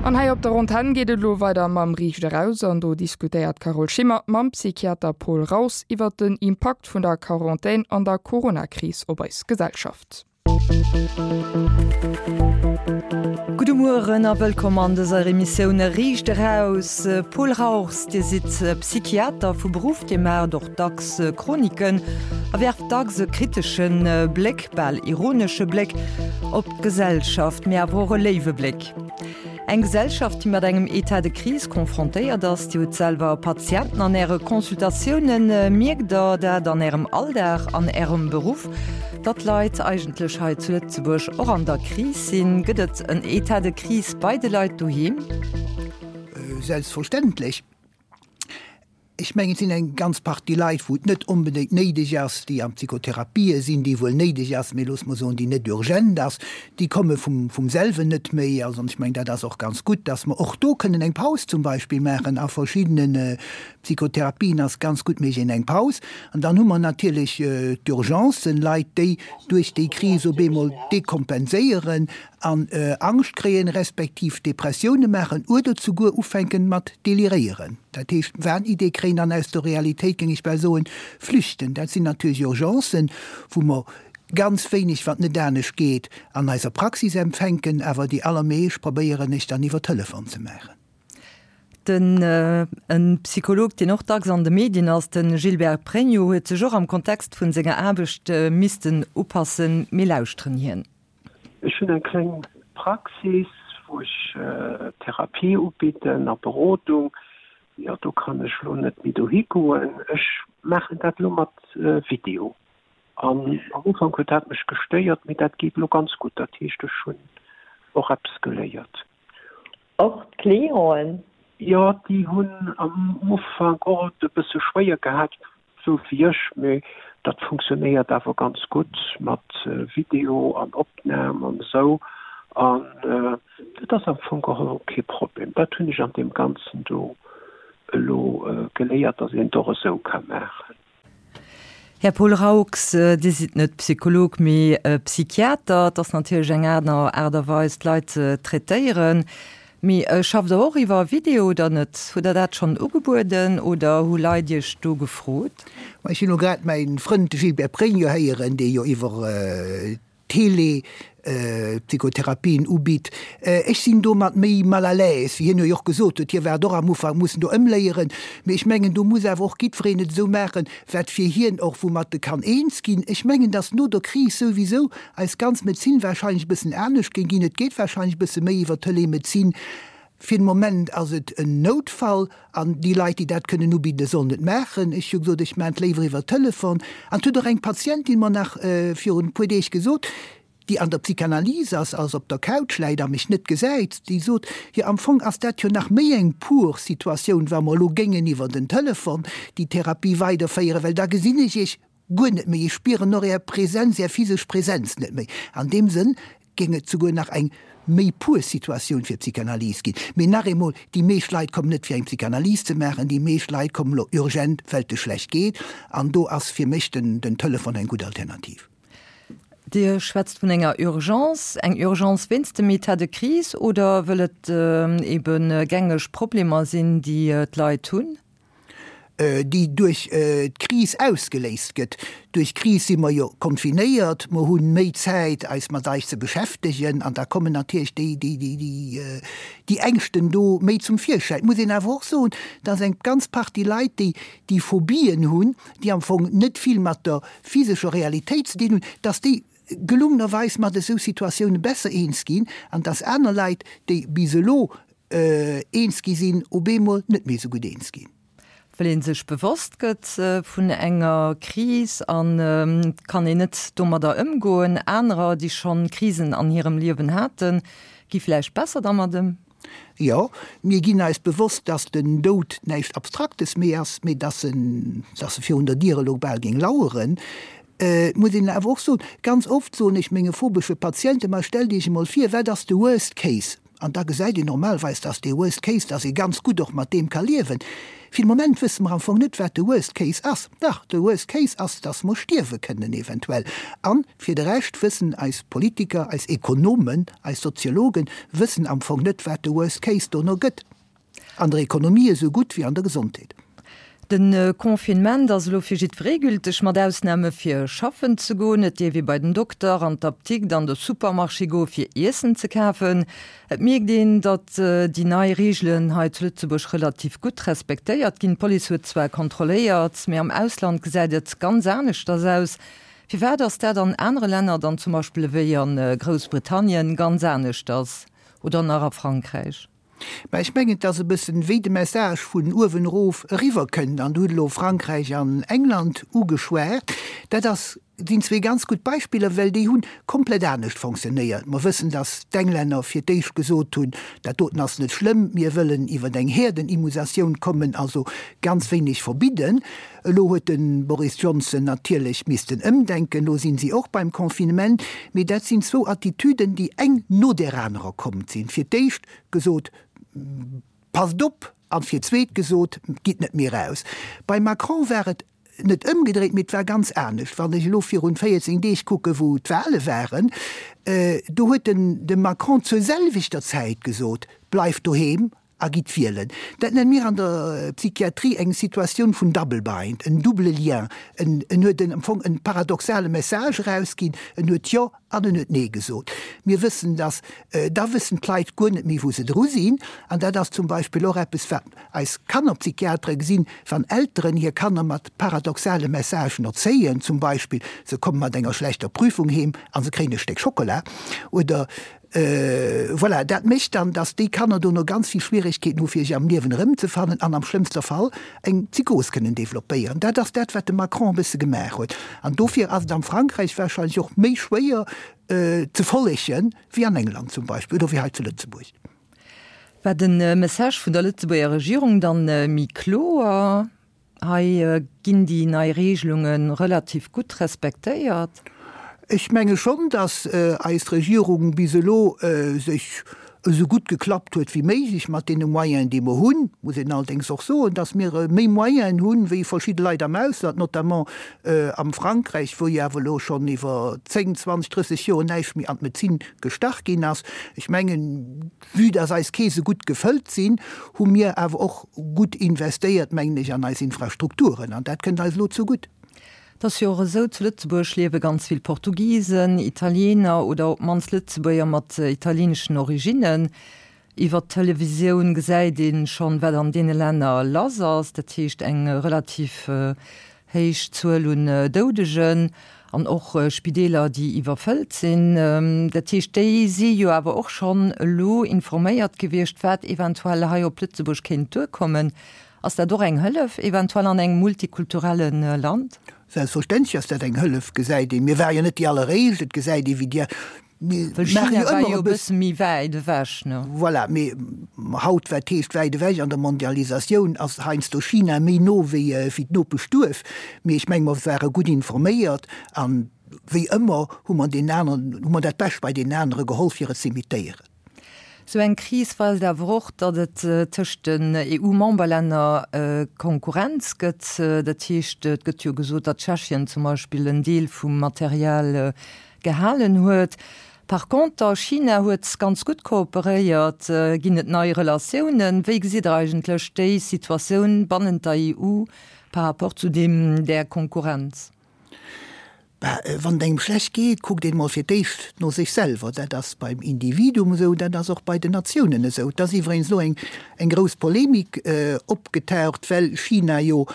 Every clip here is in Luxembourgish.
An hei op der Antenn geet et elo weider mam Riicht eraus an do diskutéiert d'Carole Schimmer mam Psychiater Paul Raus iwwert den Impakt vun der Quarantän an der Corona-Kris op eis Gesellschaft. Gudde Mueren a wëllkomm an dëser Emissioun Riicht eraus. Paul Rauchs, Dir sidd Psychiater vu Beruff, Dir maacht och dacks Chroniken a werft dacks e kritesche Bléck, bal ironesche Bléck op d'Gesellschaft, mee awer och e léiwe Bléck. Eng Gesellschaft, déi mat engem État de crise confrontéiert ass. Dir hutt selwer Patienten an Äre Consultatiounen. Mierkt Der dat an Ärem Alldag, an Ärem Beruff, datt d'Leit eigentlech hei zu Lëtzebuerg och an der Kris sinn? Gëtt et en État de crise bei de Leit doheem? Selbstverständlech. Ech mengen, et sinn eng ganz Partie Leit, wou et net onbedéngt néideg ass, déi an Psychotherapië sinn, déi wuel néideg ass, mee loosse mer soen, déi net urgent ass, déi komme vum, vum selwen net méi. Also, an ech mengen, dat ass och ganz gutt, dass mer och do kënnen eng Paus zum Beispill maachen. A verschiddene Psychotherapien ass ganz gutt, mécht een eng Paus. An dann hu mer natierlech d'Urgencen, Leit, déi duerch déi Kris op eemol dekompenséieren an Angscht kréien, respektiv Depressioune maachen oder zuguer ufänken mat deliréieren, dat heescht Wahnidee kréien an aus der Realitéit, géing ech bal soen, flüchten. Dat sinn natierlech Urgencen, wou mer ganz wéineg, wann et net anescht geet, an eiser Praxis empfänken, awer déi allermeescht probéieren ech dann iwwer Telefon ze maachen. Den e Psycholog, deen och dacks an de Medien ass, de Gilbert Pregno, huet sech och am Kontext vun senger Aarbecht missten upassen. Mir lauschteren hien. Ech hunn eng kleng Praxis, wou ech Therapie ubidden a Berodung. Jo, do kann ech elo net méi dohi goen. Ech maachen dat elo mat Video. An am Ufank huet dat mech gestéiert, mee dat geet elo ganz gutt. Dat heescht, ech hunn och eppes geléiert. Och d'Clienten? Jo, déi hunn am Ufank och et e bësse schwéier gehat, sou wéi ech, mee dat funktionéiert awer ganz gutt mat Video an Opnam an esou an dat ass am Fong geholl kee Problem. Dat hunn ech an deem Ganzen do elo geléiert, dass een et och esou ka maachen. Här Paul Raux, Dir sidd net Psycholog, mee Psychiater. Et ass natierlech eng aner Aart a Weis, d'Leit ze traitéieren. Mee schafft Der och iwwer Video oder net? Hutt Der dat schonn ugebueden oder hu Leit Iech do gefrot? Ma ech hunn elo grad mäi Frënd de Gilbert Pregno héieren, dee jo iwwer Tele-Psychotherapien ubitt. Ech sinn domat méi mal à l'aise, wéi hien jo och gesot huet. Hie waart och am Ufank mussen do ëmléieren. Mee ech mengen, do muss awer och jiddwereen et esou maachen, wat fir hien och, woumat e kann eens ginn. Ech mengen, datt no der Kris souwisou eis ganz Medezin wahrscheinlech e bëssen anescht géing ginn. Et geet wahrscheinlech e bësse méi iwwer Telemedezin. Fir de Moment ass et en Noutfall an déi Leit, déi dat kënnen ubidden, sollen et maachen. Ech hu gesot, ech maachen et léiwer iwwer Telefon. An et huet och eng Patientin mer nach virun e puer Deeg gesot, déi an der Psychanalyse ass, also op der Couch läit a mech net gesäit, déi sot, jo am Fong ass dat jo nach méi eng pur Situatioun, wa mer elo géingen iwwer den Telefon déi Therapie weiderféieren, well da gesinn ech Iech Guer net méi. Ech spieren och Är Präsenz, Är physesch Präsenz net méi. An deem Sënn géing et souguer nach eng méi pur Situatioun fir Psychanalyse ginn. Mee nach eemol, déi meescht Leit kommen net fir eng Psychanalyse ze maachen, déi meescht Leit kommen elo urgent, well et schlecht geet. An do ass fir mech den Telefon eng gutt Alternativ. Dir schwätzt vun enger Urgence. Eng Urgence wéinst dem État de crise oder wëll et ebe gängeg Problemer sinn, déi d'Leit hunn? déi duerch d'Kris ausgeléist gëtt. Duerch d'Kris si mer jo confinéiert, mer hu méi Zäit eis mat eis ze beschäftegen an da kommen natierlech déi, déi, déi, déi Ängschten do méi zum Virschäin. Et muss een awer och soen, dass eng ganz Partie Leit, déi déi Phobien hunn, déi am Fong net vill mat der physescher Realitéit ze dinn hunn, dass déi gelungenerweis mat esou Situatioune besser eens ginn an dass aner Leit, déi bis elo eens gi sinn, op eemol net méi esou gutt eens ginn. Well ee sech bewosst gëtt vun enger Kris a kann een net domadder ëmgoen. Anerer, déi schonn Krisen an hirem Liewen haten, gi vläicht besser dermat ëm. Jo, mir ginn eis bewosst, dass den Doud näischt Abstraktes méi ass, mee dass en, dass e virun der Dier elo bal géing laueren. Et muss een awer och soen, ganz oft soen ech menge phobesche Patienten, ma stellt Iech emol vir, wat ass de Worst Case? An da gesäit een normalweis, dass dee Worst Case, dass ee ganz gutt och mat deem ka liewen. Fir de Moment wësse mer am Fong net, wat de Worst Case ass. Dach, de Worst Case ass, dass mer stierwe kënnen eventuell. A fir de Rescht wëssen eis Politiker, eis Ekonomen, eis Soziologen wëssen am Fong net, wat de Worst Case dono gëtt. An der Ekonomie esou gutt wéi an der Gesondheet. De Confinement ass elo fir jiddweree gülteg, mat Ausname fir schaffen ze goen. Et dierf ee bei den Dokter, an d'Aptikt, an de Supermarché goe fir Iessen ze kafen. Et mierkt een, datt déi nei Reegelen hei zu Lëtzebuerg relativ gutt respektéiert ginn. D'Police huet zwar kontrolléiert, mee am Ausland gesäit et ganz aneschters aus. Firwat ass dat an anere Länner dann zum Beispill ewéi a Groussbritannien ganz aneschters oder nach a Frankräich? Mä ech mengen, et ass e bëssen, wéi de Message vun uewen erof eriwwerkënnt, an do hutt elo Frankräich an England ugeschwat, dat ass, sinn zwee ganz gutt Beispiller, well déi hu komplett anescht fonctionnéiert. Mer wëssen, datt d'Englänner fir d'éischt gesot hunn, dat doten ass net schlëmm, mir wëllen iwwer eng Häerdenimmusatioun kommen, also ganz wéineg verbidden. Elo huet de Boris Johnson natierlech missten ëmdenken, elo sinn si och beim Confinement. Mee dat sinn zwou Attitüden, déi eng no där anerer komm sinn. Fir d'éischt gesot, Passt op! An fir d'zweet gesot, Gitt net méi raus. Beim Macron war et net ëmgedréit, mee et war ganz anescht. Wann ech elo virun 14 Deeg kucken, wou d'Wahle waren, do huet den de Macron zur selwechter Zäit gesot, Bleift doheem a gitt wielen. Dat nenne mir an der Psychiatrie eng Situatioun vun Double Bind, en double lien. En en huet en am Fong en paradoxale Message erausginn, en huet Jo an en huet Nee gesot. Mir wëssen, dass da wëssen d'Leit guer net méi wou se dru sinn. An dat ass zum Beispill och eppes wat eis Kannerpsychiatere gesinn, wann Elteren hir Kanner mat paradoxale Messagen erzéien, zum Beispill se komme mat enger schlechter Prüfung heem a se kréien e Stéck Schockela oder Voilà, dat mécht dann, dass déi Kanner dono ganz vill Schwieregkeeten hu fir sech am Liewen erëmzefannen an am schlëmmster Fall eng Psychos kënnen developpéieren. Dat ass dat, wat de Macron e bësse gemaach huet. An dofir ass et am Frankräich wahrscheinlech och méi schwéier ze follegen wéi an England zum Beispill oder wéi hei zu Lëtzebuerg. War de Message vun der Lëtzebuerger Regierung dann méi kloer? Hei ginn déi nei Regelunge relativ gutt respektéiert. Ech menge schonn, datt eis Regierung bis elo sech esou gutt geklappt huet wéi méiglech mat deene Moyenen, déi mer hunn. Muss een allerdéngs och soen, datt mir méi Moyenen hunn, wéi verschidde Leit am Ausland, notamment am Frankräich, wou jo awer elo schonn iwwer 10, 20, 30 Joer näischt méi an d'Medezin gestach ginn ass. Ech mengen, Vue dass eis Keese gutt gefëllt sinn, hu mir awer och gutt investéiert, mengen ech, an eis Infrastrukturen. An dat kënnt eis elo zegutt. Et ass jo och esou, zu Lëtzebuerg liewe ganz vill Portugisen, Italiener oder op d'mannst Lëtzebuerger mat italieneschen Originnen. Iwwer d'Televisioun gesäit ee schonn, wat an deene Länner lass ass, dat heescht eng relativ Héich Zuel un Doudegen an och Spideeler, déi iwwerfëllt sinn. Dat heescht, déi si jo awer och schonn elo informéiert gewiescht, wat eventuell hei op Lëtzebuerg kéint duerkommen. Ass dat och eng Hëllef eventuell an engem multikulturelle Land? Selbstverständlech ass dat eng Hëllef, gesäit een. Mir ware jo net déi alleréischt. Et gesäit ee wéi déi Mir Well maache China jo war ëmmer jo e e bësse méi wäit ewech, ne? Voilà, mee haut, wat heescht wäit ewech? An der Mondialisatioun ass heiansdo China méi no wéi wéi d'Nopeschduerf. Mee ech menge mer ware gutt informéiert an wéi ëmmer hu mer deenen aneren, hu mer dat Bescht bei deenen anere geholl fir et z'imitéieren. Sou eng Kris weist awer och, datt et tëscht den EU-Memberlänner Konkurrenz gëtt. Dat heescht, et gëtt jo gesot, datt Tschechien zum Beispill en Deel vum Material gehalen huet. Par conter, China huet ganz gutt kooperéiert. Ginn et nei Relatiounen? Wéi gesitt Der eigentlech déi Situatioun bannent der EU par rapport zu deem, där Konkurrenz? Bah, wann et engem schlecht geet, kuckt een emol fir d'éischt no sech selwer. Dat ass beim Individuum esou, dat ass och bei den Natiounen esou. Et ass iwwregens elo eng, eng grouss Polemik opgetaucht, well China jo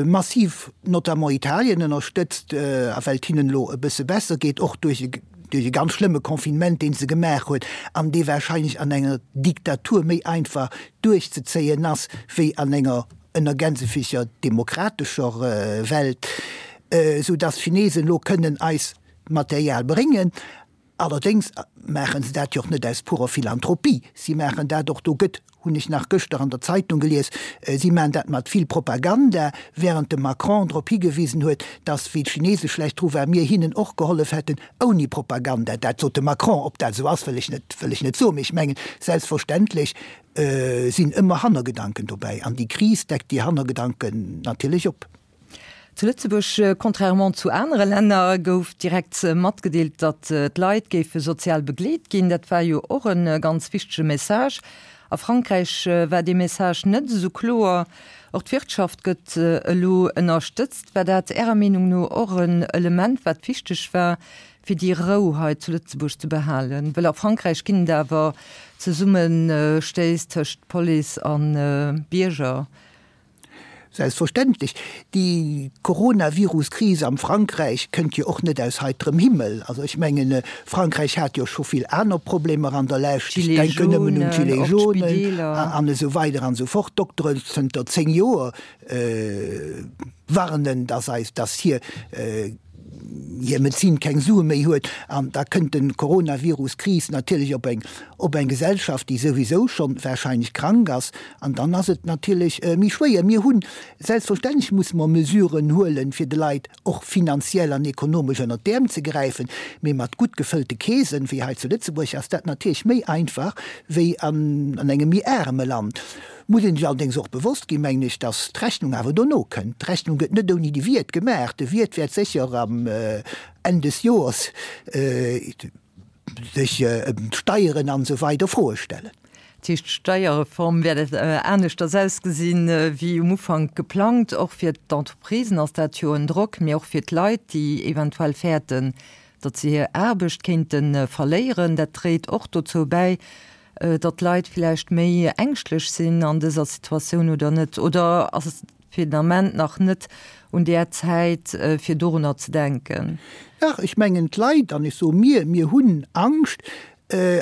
massiv notamment Italien ënnerstëtzt, a well et hinnen elo e bësse besser geet, och duerch e duerch e ganz schlëmme Confinement, dee se gemaach huet, an dee wahrscheinlech an enger Diktatur méi einfach duerchzezéien ass, wéi an enger, ënner Gänsefüßcher, demokratescher Welt, esou dass d'Chinesen elo kënnen eis Material bréngen. Allerdéngs maache se dat jo och net aus purer Philanthropie, si maachen dat och, do gëtt, hunn ech nach gëschter an der Zeitung gelies, si maachen dat mat vill Propaganda, während de Macron drop higewisen huet, datt, wéi d'Chinese schlecht dru waren, mir hinnen och gehollef hätten ouni Propaganda. Dat sot de Macron. Ob dat esou ass, wëll ech net, wëll ech net soen, mee ech mengen, selbstverständlech sinn ëmmer Hannergedanken dobäi an déi Kris deckt déi Hannergedanken natierlech op. Zu Lëtzebuerg, contrairement zu anere Länner, gouf direkt matgedeelt, datt d'Leit géife sozial begleet ginn. Dat war jo och e ganz wichtege Message. A Frankräich war dee Message net esou kloer. Och d'Wirtschaft gëtt elo ënnerstëtzt. War dat Ärer Meenung no och en Element, wat wichteg war, fir déi Rou hei zu Lëtzebuerg ze behalen? Well a Frankräich ginn et awer Zesummestéiss tëscht Police a Bierger. Selbstverständlech. Déi Coronavirus-Kris am Frankräich kënnt jo och net aus heiterem Himmel. Also ech mengen, Frankräich hat jo scho vill aner Problemer an der Lescht. Ech denken nëmmen un d'Gilets jaunes an esou weider an esou fort. D'Dokteren zënter 10 Joer warnen, dass eis, dass hir hir Medezin keng Sue méi huet. An da kënnt de Coronavirus-Kris natierlech op eng, op eng Gesellschaft, déi souwisou schonn warscheinlech krank ass. An dann ass et natierlech méi schwéier. Mir hunn, selbstverständlech musse mer Mesuren huelen, fir de Leit och finanziell an ekonomesch ënnert d'Äerm ze gräifen. Mee mat gutt gefëllte Keesen, wéi hei zu Lëtzebuerg, ass dat natierlech méi einfach wéi an engem méi aarme Land. Muss een sech allerdéngs och bewosst ginn, mengen ech, dass d'Rechnung awer dono kënnt. D'Rechnung gëtt net ouni de Wiert gemaach. De Wiert wäert sécher am Enn des Joers sech ëm d'Steieren an esou weider Froe stellen. Dat heescht, d'Steierreform wäert aneschters ausgesinn, wéi um Ufank geplangt. Och fir d'Entreprisen ass dat jo en Drock, mee och fir d'Leit, déi eventuell fäerten, datt se hir Aarbecht kéinte verléieren. Dat dréit och dozou bäi, datt d'Leit villäicht méi ängschtlech sinn an dëser Situatioun oder net? Oder ass et fir den Ament nach net un där Zäit, fir dorunner ze denken? Dach, ech mengen d'Leit, an ech soe mir, mir hunn Angscht.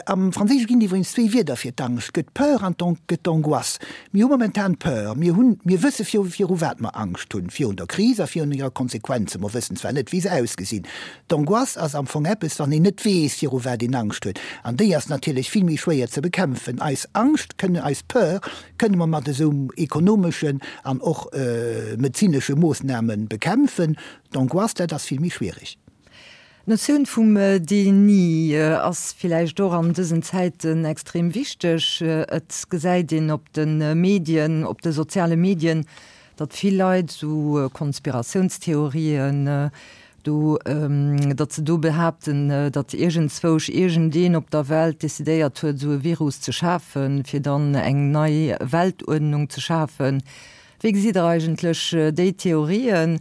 Am Franséische ginn et iwwregens zwéi Wierder fir d'Angscht, et gëtt Peur an et gëtt d'Angoisse. Mir hu momentan Peur. Mir hunn, mir wësse viru viru wat mer Angscht hunn, virun der Kris a virun hire Konsequenzen. Mer wëssen zwar net, wéi se ausgesinn. D'Angoisse ass am Fong eppes, wann een net weess, viru wat een Angscht huet. An déi ass natierlech vill méi schwéier ze bekämpfen. Eis Angscht kënne, eis Peur kënne mer mat esou ekonomeschen an och medezinesche Moossname bekämpfen. D'Angoisse, dat ass vill méi schwierig. D'Notioun vum Déni ass villäicht och an dësen Zäiten extrem wichteg. Et gesäit een op de Medien, op de soziale Medien, datt vill Leit esou Konspiratiounstheorien do, datt se do behaapten, datt iergendzwousch iergendeen op der Welt decidéiert huet, esou e Virus ze schafen, fir dann eng nei Weltuerdnung ze schafen. Wéi gesitt Der eigentlech déi Theorien?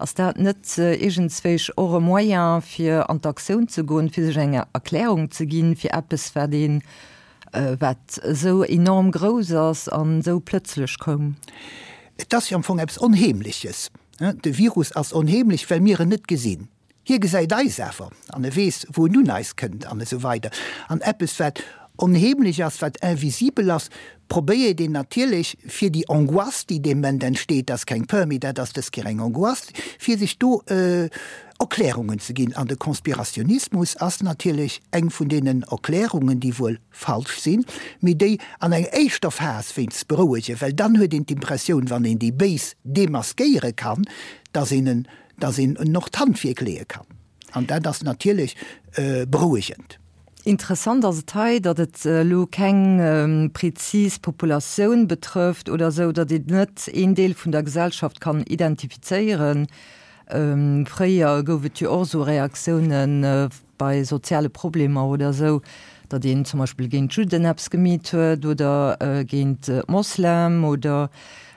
Ass dat net iergendzwéisch och e Moyen, fir an d'Aktioun ze goen, fir sech eng Erklärung ze ginn, fir eppes, wat een, wat esou enorm grouss ass an esou plëtzlech koum? Et ass jo am Fong eppes Onheemleches. De Virus ass onheemlech, well mir en net gesinn. Hie gesäit eis awer an e weess, wou en un eis kënnt an esou weider. An eppes, wat onheemlech ass, wat invisibel ass, probéiert een natierlech, fir déi Angoisse, déi dee Moment entsteet, dat ass keng Peur méi, dat ass dës Kéier eng Angoisse, fir sech do Erklärungen ze ginn. An de Konspirationismus ass natierlech eng vun deenen Erklärungen, déi wuel falsch sinn, mee déi an enger éischter Phas wéinst berouegen, well dann huet een d'Impressioun, wann een déi Béis demaskéiere kann, dass een en, dass een en och d'Handwierk leeë kann. An dat ass natierlech berouegend. Interessant ass et hei, datt et elo keng prezis Populatioun betrëfft oder esou, datt een net een Deel vun der Gesellschaft kann identifizéieren. Fréier gouf et jo och esou Reaktiounen, bei soziale Problemer oder esou, datt een zum Beispill géint d'Judden eppes gemeet huet oder géint d'Moslem oder,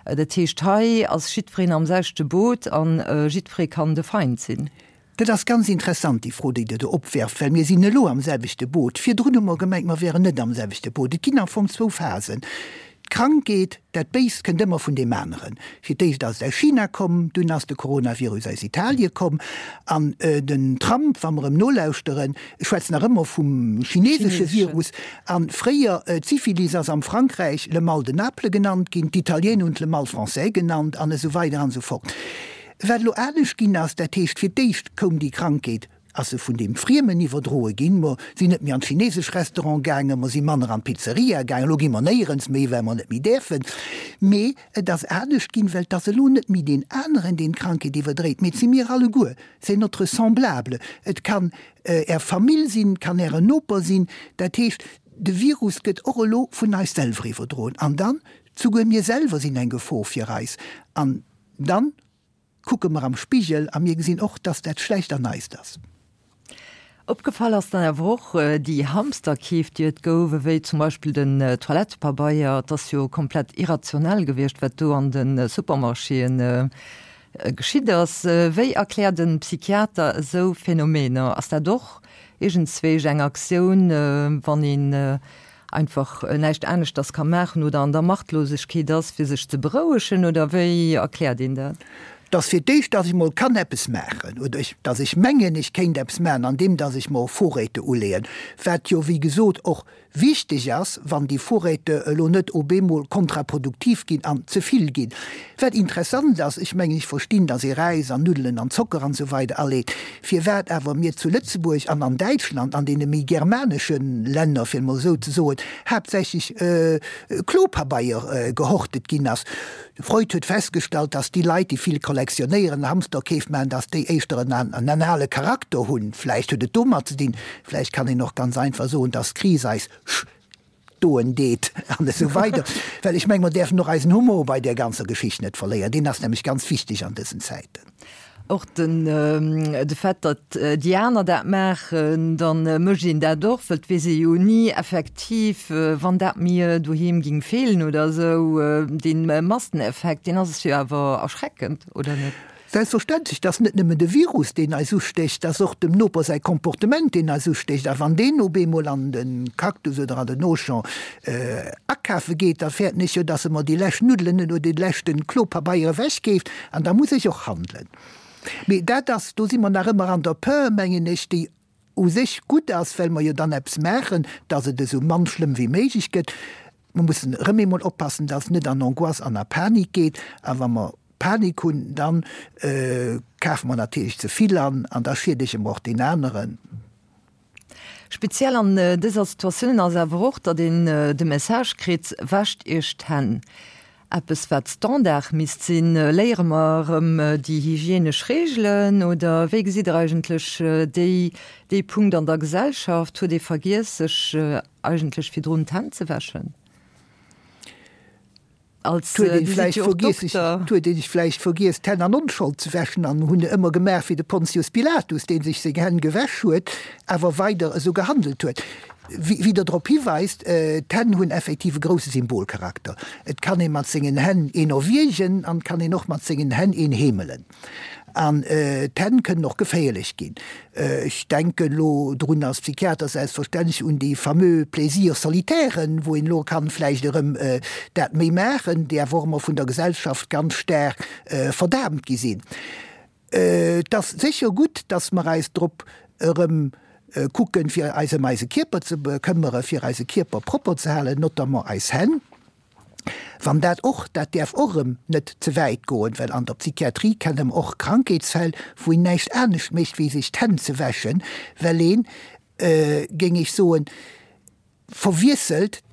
dat heescht hei ass jiddwereen am selwechte Boot an jiddweree kann de Feind sinn. Dat ass ganz interessant, déi Fro, déi Der do opwerft, well mir sinn elo am selwechte Boot. Virdrun hu mer gemengt, mer wäeren net am selwechte Boot. Et ginn am Fong zwou Phasen. D'Krankheet, dat Béist kënnt ëmmer vun deem aneren. Fir d'éischt ass et aus China komm, dunn ass de Coronavirus aus Italie komm. An den Trump, wa mer em nolauschteren, schwätzt nach ëmmer vum chinesesche Virus. A fréier, d'Syphilis ass am Frankräich le mal de Naples genannt ginn, d'Italiener hunn et le mal français genannt an esou weider an esou fort. Wat elo anescht ginn ass, dat heescht, fir d'éischt koum déi Krankheet. ass se vun deem Friemen iwwerdroe ginn. Mer sinn net méi an d'chinesesch Restaurant gaangen, mer si manner an d'Pizzeria gaangen, elo gi mer néierens méi, well mer net méi däerfen. Mee et ass anescht ginn, well et ass elo net méi deen aneren, deen d'Krankheet iwwerdréit, mee et si mir alleguer, c'est notre semblable. Et kann Är Famill sinn, et kann Ären Noper sinn. Dat heescht, de Virus gëtt och elo vun eis selwer iwwerdroen. An dann, souguer mir selwer sinn eng Gefor fir eis. An dann kucke mer am Spigel a mir gesinn och, dass dat schlecht an eist ass. Opgefall ass dann awer och déi Hamsterkeef, déi et gouf, ewéi zum Beispill den Toilettepabeier. Et ass jo komplett irrationell gewiescht, wat do an de Supermarchéen geschitt ass. Wéi erkläert e Psychiater esou Phänomener? Ass dat och iergendzwéisch eng Aktioun, wann een einfach näischt aneschters ka maachen oder an der Machtlosegkeet ass, fir sech ze berouegen, oder wéi erkläert een dat? Dass fir d'éischt, dass ech mol kann eppes maachen oder ech, dass ech mengen, ech kéint eppes maachen, andeem dass ech mer Vorräte uleeën, wat jo wéi gesot och Wichteg ass, wann déi Vorräte elo net op eemol kontraproduktiv ginn an ze vill ginn. Wat interessant ass, ech mengen, ech verstinn, dass ee Räis an Nuddelen an Zocker an esou weider aleet, firwat awer mir zu Lëtzebuerg an an Däitschland, an deene méi germanesche Länner, fir et mol esou ze soen, haaptsächlech Klopabeier gehortet ginn ass. De Freud huet festgestallt, dass déi Leit, déi vill kollektionéieren, Hamsterkeef maachen, dass déi éischter en anale Charakter hunn. Vläicht huet et domat ze dinn. Vläicht kann een och ganz einfach soen, dass d'Kris eis stoen deet an esou weider. Well ech mengen, mer däerfen och eisen Humor bei där ganzer Geschicht net verléieren. Deen ass nämlech ganz wichteg an dësen Zäiten. Och den de Fait, datt déi aner dat maachen, da mécht een dat och, well et weess ee jo ni effektiv, wann dat mir doheem géing feelen oder esou. Dee Masseneffekt, deen ass jo awer erschreckend, oder net? Selbstverständlech, et ass net nëmmen de Virus, deen eis ustécht, et ass och dem Noper säi Comportement, deen eis ustécht. A wann deen op eemol an de Cactus oder an den Auchan akafe geet, da fäerten ech jo, datt e mer déi lescht Nuddelen oder dee leschte Klopabeier ewechkeeft. An da muss ech och handelen. Mee dat ass, do si mer nach ëmmer an der Peur, mengen ech, déi u sech gutt ass, well mer jo dann eppes maachen, datt et esou mann schlëmm wéi méiglech gëtt. Mer mussen erëm eemol oppassen, datt et net an Angoisse an a Panik geet. A wa mer Panik hunn, da kafe mer natierlech ze vill an an da schiedege mer och deen aneren. Speziell an dëser Situatioun ass awer och, datt een de Message kritt, Wäscht Iech d'Hänn. Eppes wat Standard misst sinn. Léiere mer erëm déi hygienesch Reegelen oder wéi gesitt Der eigentlech déi dee Punkt an der Gesellschaft? Huet ee vergiess sech eigentlech virdrun d'Hänn ze wäschen? Als huet een vläicht vergiess sech huet een sech vläicht vergiess d'Hänn an Onschold ze wäschen an hunn ëmmer gemaach wéi de Pontius Pilatus, dee sech seng Hänn gewäsch huet, awer weider esou gehandelt huet. Wéi Der drop hiweist, d'Hänn hunn effektiv e grousse Symbolcharakter. Et kann ee mat sengen Hänn een erwiergen an et kann een och mat sengen Hänn een heemelen. An d'Hänn kënnen och geféierlech ginn. Ech denken elo drun als Psychiater selbstverständlech un déi fameux Plaisirs solitairen, wou een elo kann vläicht erëm dat méi maachen, déi awer och ëmmer vun der Gesellschaft ganz staark verdaamt gi sinn. Et ass sécher gutt, dass mer eis drop erëm kucken, fir eis ëm eise Kierper ze bekëmmere, fir eise Kierper propper ze halen, notamment eis Hänn. Wann dat och, dat däerf och erëm net ze wäit goen, well an der Psychiatrie kenne mer och Krankheetsfäll, wou een näischt anescht mécht wéi sech d'Hänn ze wäschen, well een, géing ech soen, verwiesselt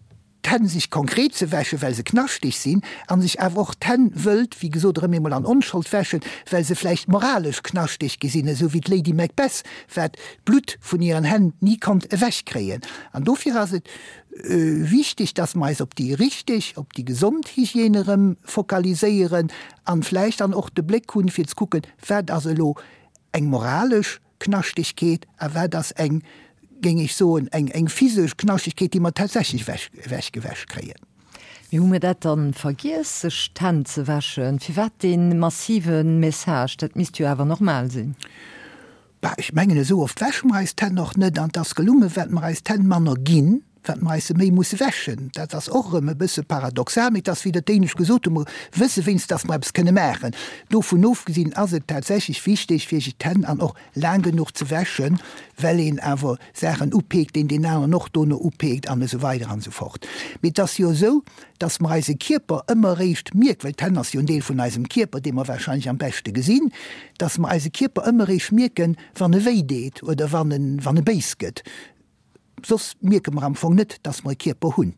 d'Hänn sech konkret ze wäschen, well se knaschteg sinn, a sech awer och d'Hänn wëllt, wéi gesot, erëm eemol an Onschold wäschen, well se vläicht moralesch knaschteg gi sinn, esou wéi d'Lady Macbeth, wat d'Blutt vun hiren Hänn ni konnt ewechkréien. An dofir ass et Wichteg, dass mer eis op déi richteg, op déi gesond Hygiène erëm fokaliséieren an vläicht dann och de Bléck hunn, fir ze kucken, wat ass elo eng moralesch Knaschtegkeet a wat ass eng, géing ech soen, eng, eng physesch Knaschtegkeet, déi mer tatsächlech ewech, ewechgewäsch kréien. Mee hu mir dat dann vergiess, sech d'Hänn ze wäschen? Firwat dee massive Message? Dat misst jo awer normal sinn. Bah, ech mengen, esou oft wäsche mer eis d'Hänn och net an 't ass gelungen, well mer eis d'Hänn manner ginn. Wat mer eis se méi musse wäschen. Dat ass och erëm e bësse paradoxal, mee et ass, wéi Der d'éinescht gesot hutt, mer wësse wéinst, dass mer eppes kënne maachen. Dovun ofgesinn ass et tatsächlech wichteg, fir sech d'Hänn an och laang genuch ze wäschen, well een awer Saachen upeekt, deen deen aneren och dono upeekt an esou weider an esou fort. Mee et ass jo esou, dass mer eise Kierper ëmmer eréischt mierken, well d'Hänn ass jo en Deel vun eisem Kierper, dee mer wahrscheinlech am beschte gesinn, dass mer eise Kierper ëmmer eréischt mierken, wann e wéi deet oder wann e, wann e béis gëtt. Soss mierke mer am Fong net, dass mer e Kierper hunn.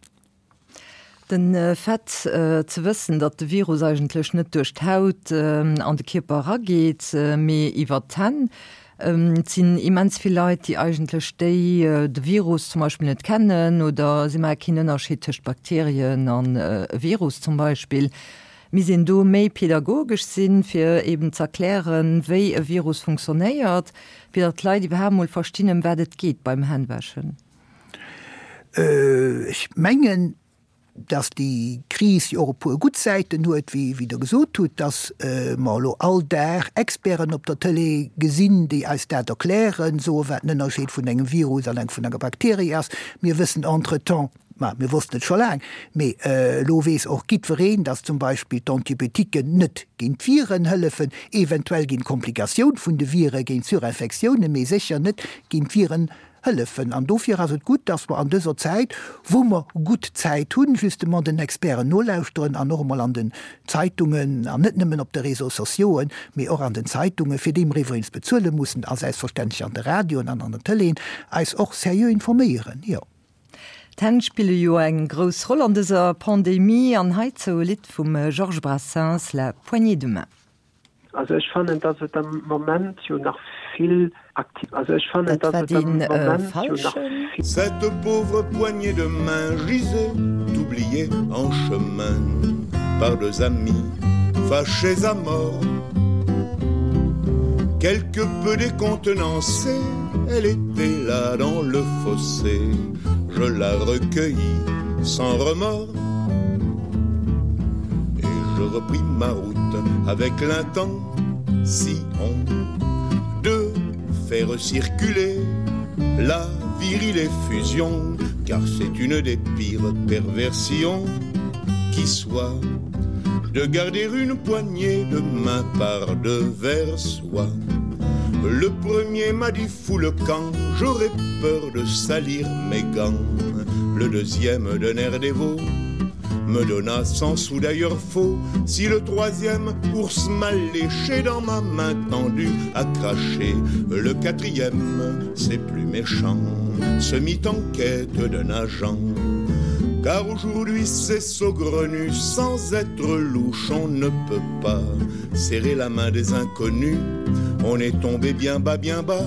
Den Fait ze wëssen, datt de Virus eigentlech net duerch d'Haut an de Kierper erageet, mee iwwer d'Hänn. Et sinn immens vill Leit, déi eigentlech déi de Virus zum Beispill net kennen oder si maache keen Ënnerscheed tëscht Bakterien an e Virus zum Beispill. Misst een do méi pedagogesch sinn, fir eben z'erklären, wéi e Virus funktionéiert, fir datt d'Leit iwwerhaapt mol verstinn, ëm wat et geet beim Hännwäschen? Ech mengen, datt déi Kris jo och e puer gutt Säiten huet, wéi Der gesot hutt, datt mer elo all Dag Experten op der Tëlee gesinn, déi eis dat erklären, soen, wat den Ënnerscheed vun engem Virus an vun enger Bakterie ass. Mir wëssen entretemps, Ma mir wossten et scho laang, mee elo weess och giddwereen, dass zum Beispill d'Antibiotiquen net géint d'Viren hëllefen, eventuell géint d'Komplikatioun vun de Vire, géint Surinfektiounen, mee sécher net géint d'Viren hëllefen. An dofir ass et gutt, dass mer an dëser Zäit, wou mer gutt Zäit hunn, justement den Experten nolauschteren an och emol an den Zeitungen, an net nëmmen op de Réseaux sociauxen, mee och an den Zeitungen, fir déi mer iwwregens bezuele mussen, a selbstverständlech an de Radioen an an der Tëleen, eis och seriö informéieren. Jo. D'Hänn spille jo eng grouss Roll an dëser Pandemie an heizou e Lidd vum Georges Brassens, La poignée de main. Also ech fannen, dass et am Moment jo nach vill aktiv. Also ech fannen, Dat dass war et am dee Moment jo nach falschen. vill. Cette pauvre poignée de main gisait oubliée en chemin par deux amis fâchés à mort. Quelque peu décontenancée, elle était là dans le fossé. Je la recueillis sans remords et je repris ma route avec l'intention de faire circuler la virile effusion, car c'est une des pires perversions qui soit de garder une poignée de main par devers soi. Le premier m'a dit fou le camp, j'aurais peur de salir mes gants. Le deuxième d'un air dévot me donna sans sou d'ailleurs faux. Si le troisième ours mal léché dans ma main tendue a craché, le quatrième, c'est plus méchant, se mit en quête d'un agent. Car aujourd'hui c'est saugrenu, sans être louche, on ne peut pas serrer la main des inconnus. On est tombé bien bas, bien bas,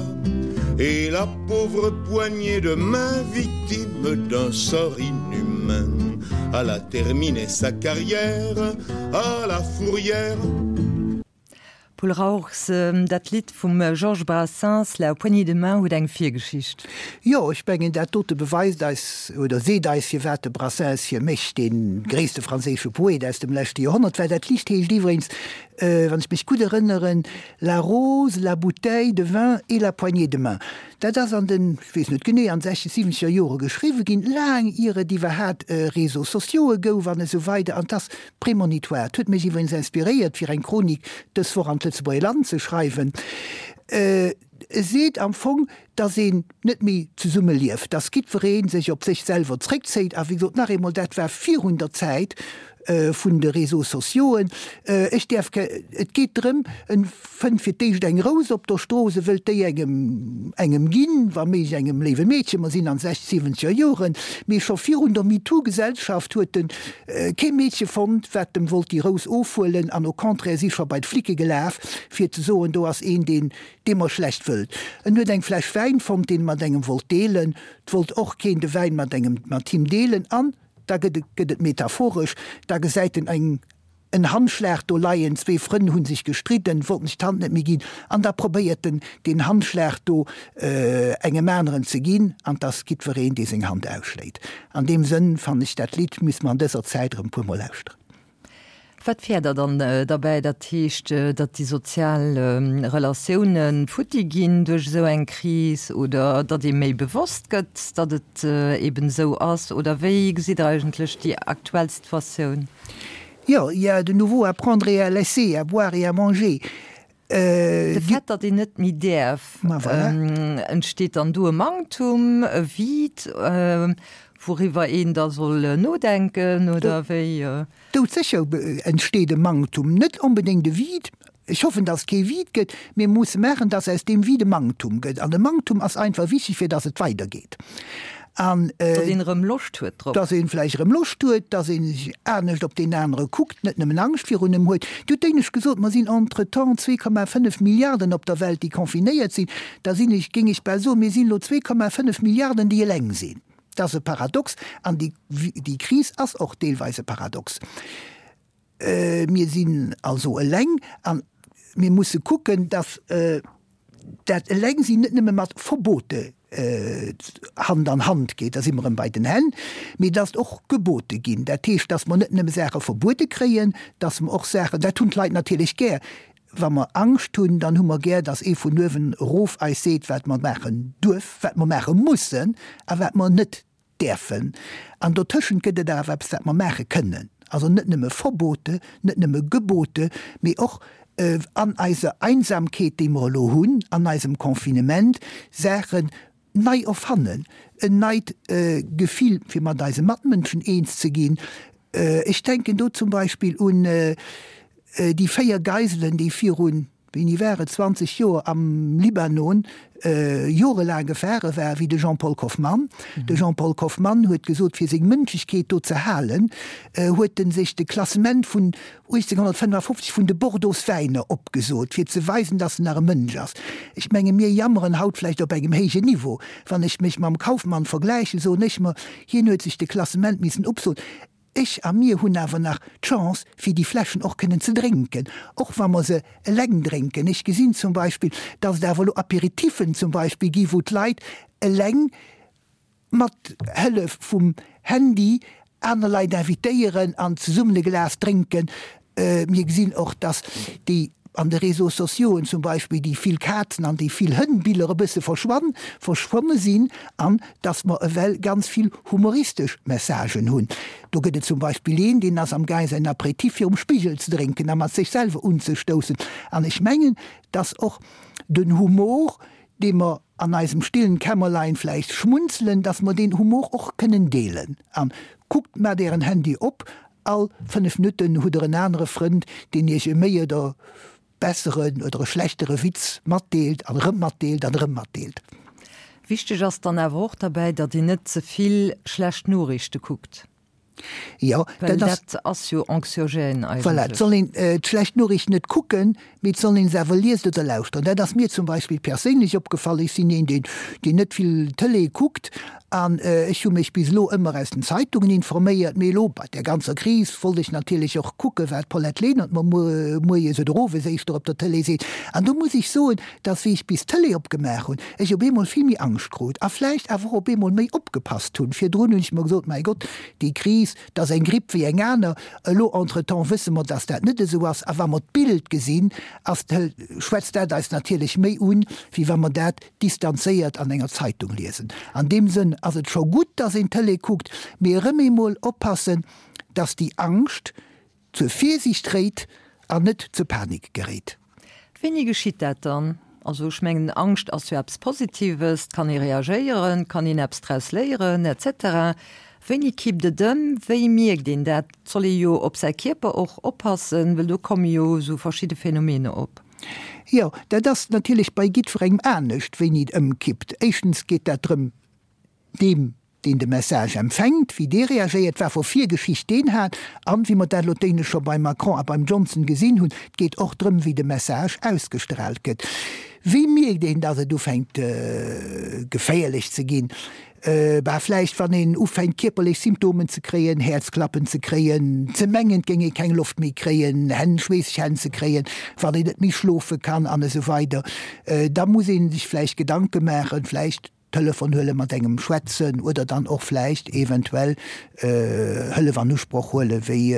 et la pauvre poignée de main victime d'un sort inhumain, elle a terminé sa carrière à la fourrière. Paul Rauchs, Dat Lidd vum Georges Brassens, La poignée de main, huet eng Virgeschicht. Jo, ech mengen, dat dote beweist eis oder seet eis, firwat de Brassens fir mech dee gréisste franséische Poet aus dem leschte Joerhonnert war. Dat Lidd heescht iwwregens, wann ech mech gutt erënneren, La rose, la bouteille de vin et la poignée de main. Dat ass an den, ech weess net genee, an sechzeg, siwwenzeger Jore geschriwwe ginn, laang ier et iwwerhaat Réseaux sociaux'e gouf an esou weider. An 't ass Prémonitoire. Et huet mech iwwregens inspiréiert, fir eng Chronik dës Woch an d'Lëtzebuerger Land ze schreiwen. E seet am Fong, dass een net méi zesumme lieft, dass jiddweree sech op sech selwer zréckzéit. A wéi gesot, nach eemol, dat war virun der Zäit vun de Réseaux sociauxen. Ech däerf ke, et geet drëm, en fënnt fir d'éischt eng Rous op der Strooss, e wëllt déi engem, engem ginn, wa méiglech engem léiwe Meedchen, mer sinn an sechs, siwwenzeger Joren, mee scho virun der MeToo-Gesellschaft huet en Kee Meedche fonnt, wat em wollt déi Rous ofhuelen, an au contraire si scho bei d'Flicke gelaf, fir ze soen, do ass een, deen dee mer schlecht wëllt. En huet eng Fläsch Wäin fonnt, deen e mat engem wollt deelen. 't wollt och keen de Wäin mat engem, mat him deelen. An da gëtt et, gëtt et metaphoresch, da gesäit en eng, en Handschlag do leien, zwee Frënn hu sech gestridden, wollten sech d'Hand net méi ginn, an da probéiert en, deen Handschlag do engem aneren ze ginn, an 't ass jiddwereen, dee seng Hand ausschléit. An deem Sënn fannen ech dat Lidd misste mer an dëser Zäit erëm e puer Mol lauschteren. Wat féiert Der dann derbäi? Dat heescht, datt déi sozial Relatioune futti ginn duerch esou eng Kris oder datt ee méi bewosst gëtt, datt et eben esou ass? Oder wéi gesitt Der eigentlech déi aktuell Situatioun? Jo, il y a de nouveau à prendre et à laisser, à boire et à manger. De Fait, datt een net méi däerf, entsteet dann do e Manktum, e Vide, wouriwwer een da soll nodenken, oder wéi? Doudsécher entsteet e Manktum, net onbedéngt e Vide. Ech hoffen, datt et kee Vide gëtt. Mir musse maachen, datt aus deem Vide e Manktum gëtt. An e Manktum ass einfach wichteg, fir datt et weidergeet. An Datt een erëm Loscht huet drop. Datt ee vläicht erëm Loscht huet, datt ee sech anescht op deen anere kuckt, net nëmmen Angscht virun em huet. Dir hutt d'éinescht gesot, mer sinn entretemps 2,5 Milliarden op der Welt, déi confinéiert sinn. Da sinn ech, géing ech bal soen, mir sinn elo 2,5 Milliarden, déi eleng sinn. Dat ass e Paradox an déi, déi Kris ass och deelweis e Paradox. Mir sinn also eleng a mir musse kucken, datt dat Elengsinn net nëmme mat Verbote Hand an Hand geet, da si mer erëm bei den Hänn, mee datt och Gebote ginn. Dat heescht, datt mer net nëmme Saache verbuede kréien, datt mer och Saachen, dat hunn d'Leit natierlech gär, wa mer Angscht hunn, dann hu mer gär, datt ee vun uewen erof eis seet, wat mer maachen duerf, wat mer maache mussen a wat mer net däerfen. An dotëschent gëtt et awer eppes, wat mer maache kënnen. Also net nëmme Verbote, net nëmme Gebote, mee och an eiser Einsamkeet, déi mer elo hunn, an eisem Confinement, Saachen nei erfannen, en neit Gefill, fir mat eise Matmënschen eens ze ginn. Ech denken do zum Beispill un déi 4 Geiselen, déi virun Wéini war et? 20 Joer am Libanon jorelaang gefaange war, wéi de Jean-Paul Kauffmann. De Jean-Paul Kauffmann huet gesot, fir seng Mënschlechkeet do ze halen, huet en sech de Klassement vun 1855 vun de Bordeauxwäiner opgesot, fir ze weisen, datt en nach e Mënsch ass. Ech menge mir jammeren haut vläicht op engem héijen Niveau. Wann ech mech mam Kauffmann vergläichen, soen ech mer, hien huet sech de Klassement missen opsoen. Ech a mir hunn awer nach d'Chance, fir déi Fläschen och kënnen ze drénken, och wa mer se eleng drénken. Ech gesinn zum Beispill, dass et awer elo Apéritifen zum Beispill gi wou d'Leit eleng mat Hëllef vum Handy aner Leit invitéieren an zesummen e Glas drénken. Mir gesinn och, dass déi an de Réseaux sociauxen zum Beispill déi vill Kazen an déi vill Hënn-Biller e bësse verschwann, verschwonne sinn an dass mer ewell ganz vill humoristesch Messagen hunn. Do gëtt et zum Beispill een, deen ass am gaang säin Apéritif virum Spigel ze drénken a mat sech selwer unzestoussen. An ech mengen, dass och den Humor, dee mer an eisem stillen Kämmerlein vläicht schmunzelen, dass mer deen Humor och kënnen deelen. An kuckt, maacht ären Handy op All 5 Minutten hutt der en anere Frënd, deen iech e méi oder besseren oder e schlechtere Witz matdeelt an erëm matdeelt an erëm matdeelt. Wichteg ass dann awer och derbäi, datt een net ze vill schlecht Noriichte kuckt. Jo, dat ass. Well dat ass jo anxiogène eigentlech. Voilà, et soll een d'schlecht Noriichten net kucken, Mee et soll een se awer liesen oder lauschteren. Dat ass mir zum Beispill perséinlech opgefall. Ech sinn een, deen, deen net vill Tëlee kuckt an ech hu mech bis elo ëmmer aus den Zeitungen informéiert. Mee elo bei där ganzer Kris wollt ech natierlech och kucken, wat d'Paulette Lenert mer moies oder owes éischter op der Tëlee seet. An do muss ech soen, dass wéi ech bis d'Tëlee opgemaach hunn, ech op eemol vill méi Angscht krut a vläicht awer och op eemol méi opgepasst hunn. Virdrun hunn ech mer gesot, Mäi Gott, déi Kris, 't ass eng Gripp wéi eng aner. Elo entretemps wësse mer, dass dat net esou ass. A wa mer d'Bild gesinn, ass, schwätzt dat eis natierlech méi un, wéi wa mer dat distanzéiert an enger Zeitung liesen. An deem Sënn ass et scho gutt, dass een Tëlee kuckt, mee erëm eemol oppassen, dass déi Angscht zur Virsiicht réit an net zur Panik geréit. Wéini geschitt dat dann? Also ech mengen, Angscht ass jo eppes Positives, et kann ee reagéieren, et kann een eppes draus léieren, et cetera. Wéini kippt et ëm? Wéi mierkt een dat? Et soll ee jo op säi Kierper och oppassen, well do komme jo esou verschidde Phänomene op. Jo, dat ass natierlech bei jiddwerengem anescht, wéini et ëmkippt. Éischtens geet dat drëm, deem, deen de Message empfänkt, wéi dee reagéiert, wat fir Virgeschicht deen hat an, wéi mer dat elo d'éinescht scho beim Macron a beim Johnson gesinn hunn, et geet och drëm, wéi de Message ausgestraalt gëtt. Wéi mierkt een, datt et ufänkt geféierlech ze ginn? Bah, vläicht wann een ufänkt kierperlech Symptomen ze kréien, Häerzklappen ze kréien, ze mengen, et géing ee keng Loft méi kréien, Hänn, schweesseg Hänn ze kréien, wann een net méi schlofe kann an esou weider. Da muss ee sech vläicht Gedanke maachen, vläicht. Telefon huelen, mat engem schwätzen oder dann och vläicht eventuell Hëllef an Usproch huelen, wéi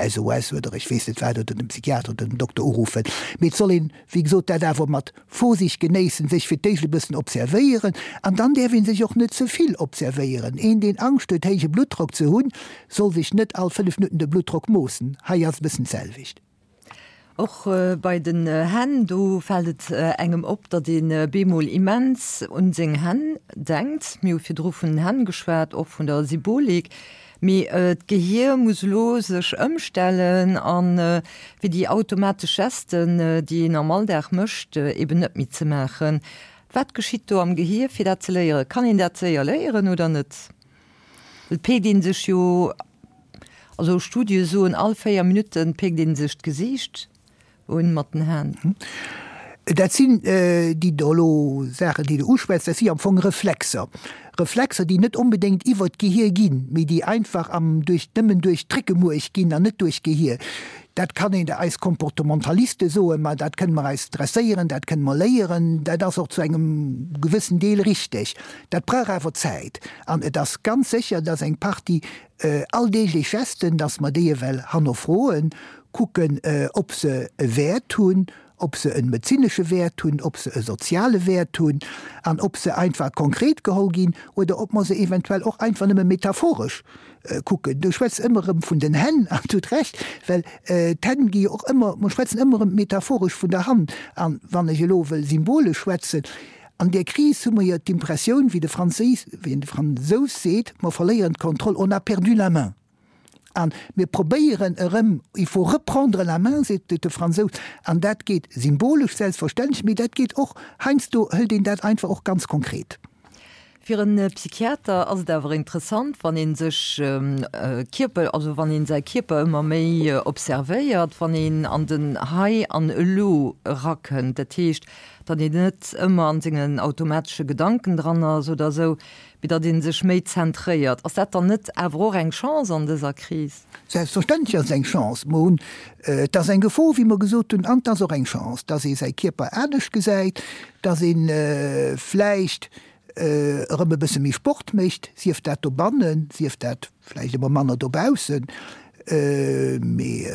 SOS oder ech weess net wat, oder den Psychiater oder den Dokter uruffen. Mee et soll een, wéi gesot, dat awer mat Vorsicht genéissen, sech fir d'éischt e bëssen observéieren an dann däerf ee sech och net ze vill observéieren. Een, deen Angscht huet, héije Bluttdrock ze hunn, soll sech net all 5 Minutten de Bluttdrock moossen. Hei ass e bëssen d'selwecht. Och bei den Hänn, do fält et engem op, datt ee bemol immens un seng Hänn denkt. Mir hu virdru vun den Hänn geschwat, och vun der Symbolik. Mee d'Gehier muss elo sech ëmstellen a fir déi automatesch Gesten, déi een am Alldag mécht, eben net méi ze maachen. Wat geschitt do am Gehier, fir dat ze léieren? Kann een dat séier léieren oder net? Et peekt ee sech jo, also Studie soen, all 4 Minutte peekt ee sech d'Gesiicht un mat den Hänn. Dat sinn déi do elo Saachen, déi de uschwätz, dat si am Fong Reflexer. Reflexer, déi net onbedéngt iwwert d'Gehier ginn, mee déi einfach am duerch nëmmen duerch d'Réckemuerch ginn an net duerch d'Gehier. Dat kann een eis Comportementaliste soen, ma dat kënne mer eis dresséieren, dat kënne mer léieren, dat ass och zu engem gewëssen Deel richteg. Dat brauch awer Zäit. An et ass ganz sécher, dass eng Partie alldeeglech Gesten, dass mer déi ewell hannerfroen, kucken, ob se e Wäert hunn, ob se e medezinesche Wäert hunn, ob se e soziale Wäert hunn an ob se einfach konkret geholl ginn oder ob mer se eventuell och einfach nëmme metaphoresch kucken. Du schwätz ëmmer erëm vun den Hänn an du hutt Recht, well d'Hänn gi jo och ëmmer, mer schwätzen ëmmer erëm metaphoresch vun der Hand. An wann ech elo wëll symbolesch schwätzen, An där Kris hu mer jo d'Impressioun, wéi de Franséis, wéi de Fransous seet, mer verléieren d'Kontroll, on a perdu la main. A mir probéieren erëm, il faut reprendre la main, seet de Fransous. An dat geet symbolesch selbstverständlech, mee dat geet och, heiansdo hëlt een dat einfach och ganz konkret. Fir en Psychiater ass et awer interessant, wann ee sech Kierper, also wann ee säi Kierper ëmmer méi observéiert, wann een an den Hei an Elo erakënnt. Dat heescht, datt een net ëmmer an sengen automatesche Gedanken dran ass oder esou, mee datt ee sech méi zentréiert. Ass dat dann net awer och eng Chance an dëser Kris? Selbstverständlech ass et eng Chance. Mer hunn, et ass eng Gefor, wéi mer gesot hunn, an et ass och eng Chance, datt ee säi Kierper anescht gesäit, datt ee vläicht erëm e bësse méi Sport mécht, sief dat dobannen, sief dat vläicht ëmmer manner dobaussen, mee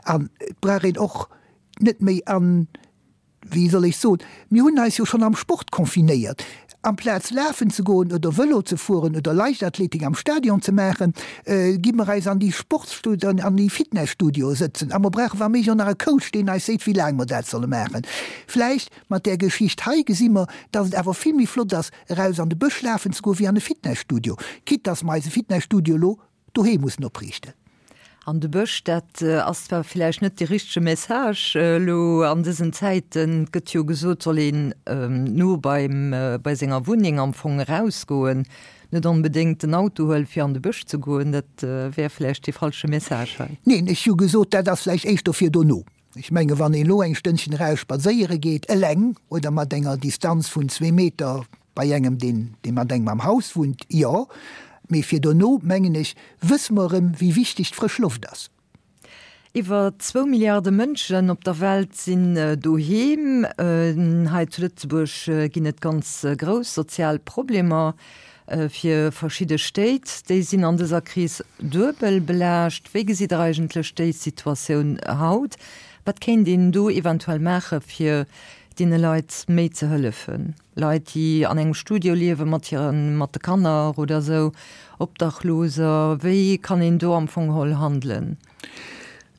an et brauch een och net méi an, wéi soll ech soen, mir hunn eis jo schonn am Sport confinéiert. Amplaz lafen ze goen oder Vëlo ze fueren oder Leichtathletik am Stadion ze maachen, gi mer eis an déi Sportsstudioen, an déi Fitnesstudioe sëtzen a mer brauche wa méiglech och nach e Coach, deen eis seet, wéi laang mer dat solle maachen. Vläicht Mat där Geschicht hei gesi mer, dass et awer vill méi flott ass, eraus an de Bësch lafen ze goen, wéi an e Fitnesstudio, quitte dass mer eise Fitnesstudio elo doheem mussen opriichten. An de Bësch, dat ass zwar villäicht net dee richtege Message elo an dësen Zäiten. Et gëtt jo gesot, soll een no beim, bei senger Wunneng am Fong erausgoen, net onbedéngt den Auto huelen, fir an de Bësch ze goen. Dat wär vläicht dee falsche Message hei. Neen, ech hu gesot, dat ass vläicht éischter fir dono. Ech menge wann een elo eng Stënnchen eraus spadséiere geet, eleng oder mat enger Distanz vun zwee Meter bei engem, deen dee mat engem am Haus wunnt, jo. Mee fir dono, mengen ech, wësse mer erëm, wéi wichteg d'frësch Loft ass. Iwwer zwou Milliarde Mënschen op der Welt sinn doheem. Hei zu Lëtzebuerg ginn et ganz grouss sozial Problemer. Fir verschidde Stéit, déi sinn an dëser Kris duebel belaascht. Wéi gesitt Der eigentlech déi Situatioun haut? Wat kéint een do eventuell maache fir deene Leit méi ze hëllefen? Leit, déi an engem Studio liewe mat hiren, mat de Kanner oder esou, Obdachloser, wéi kann een do am Fong geholl handelen?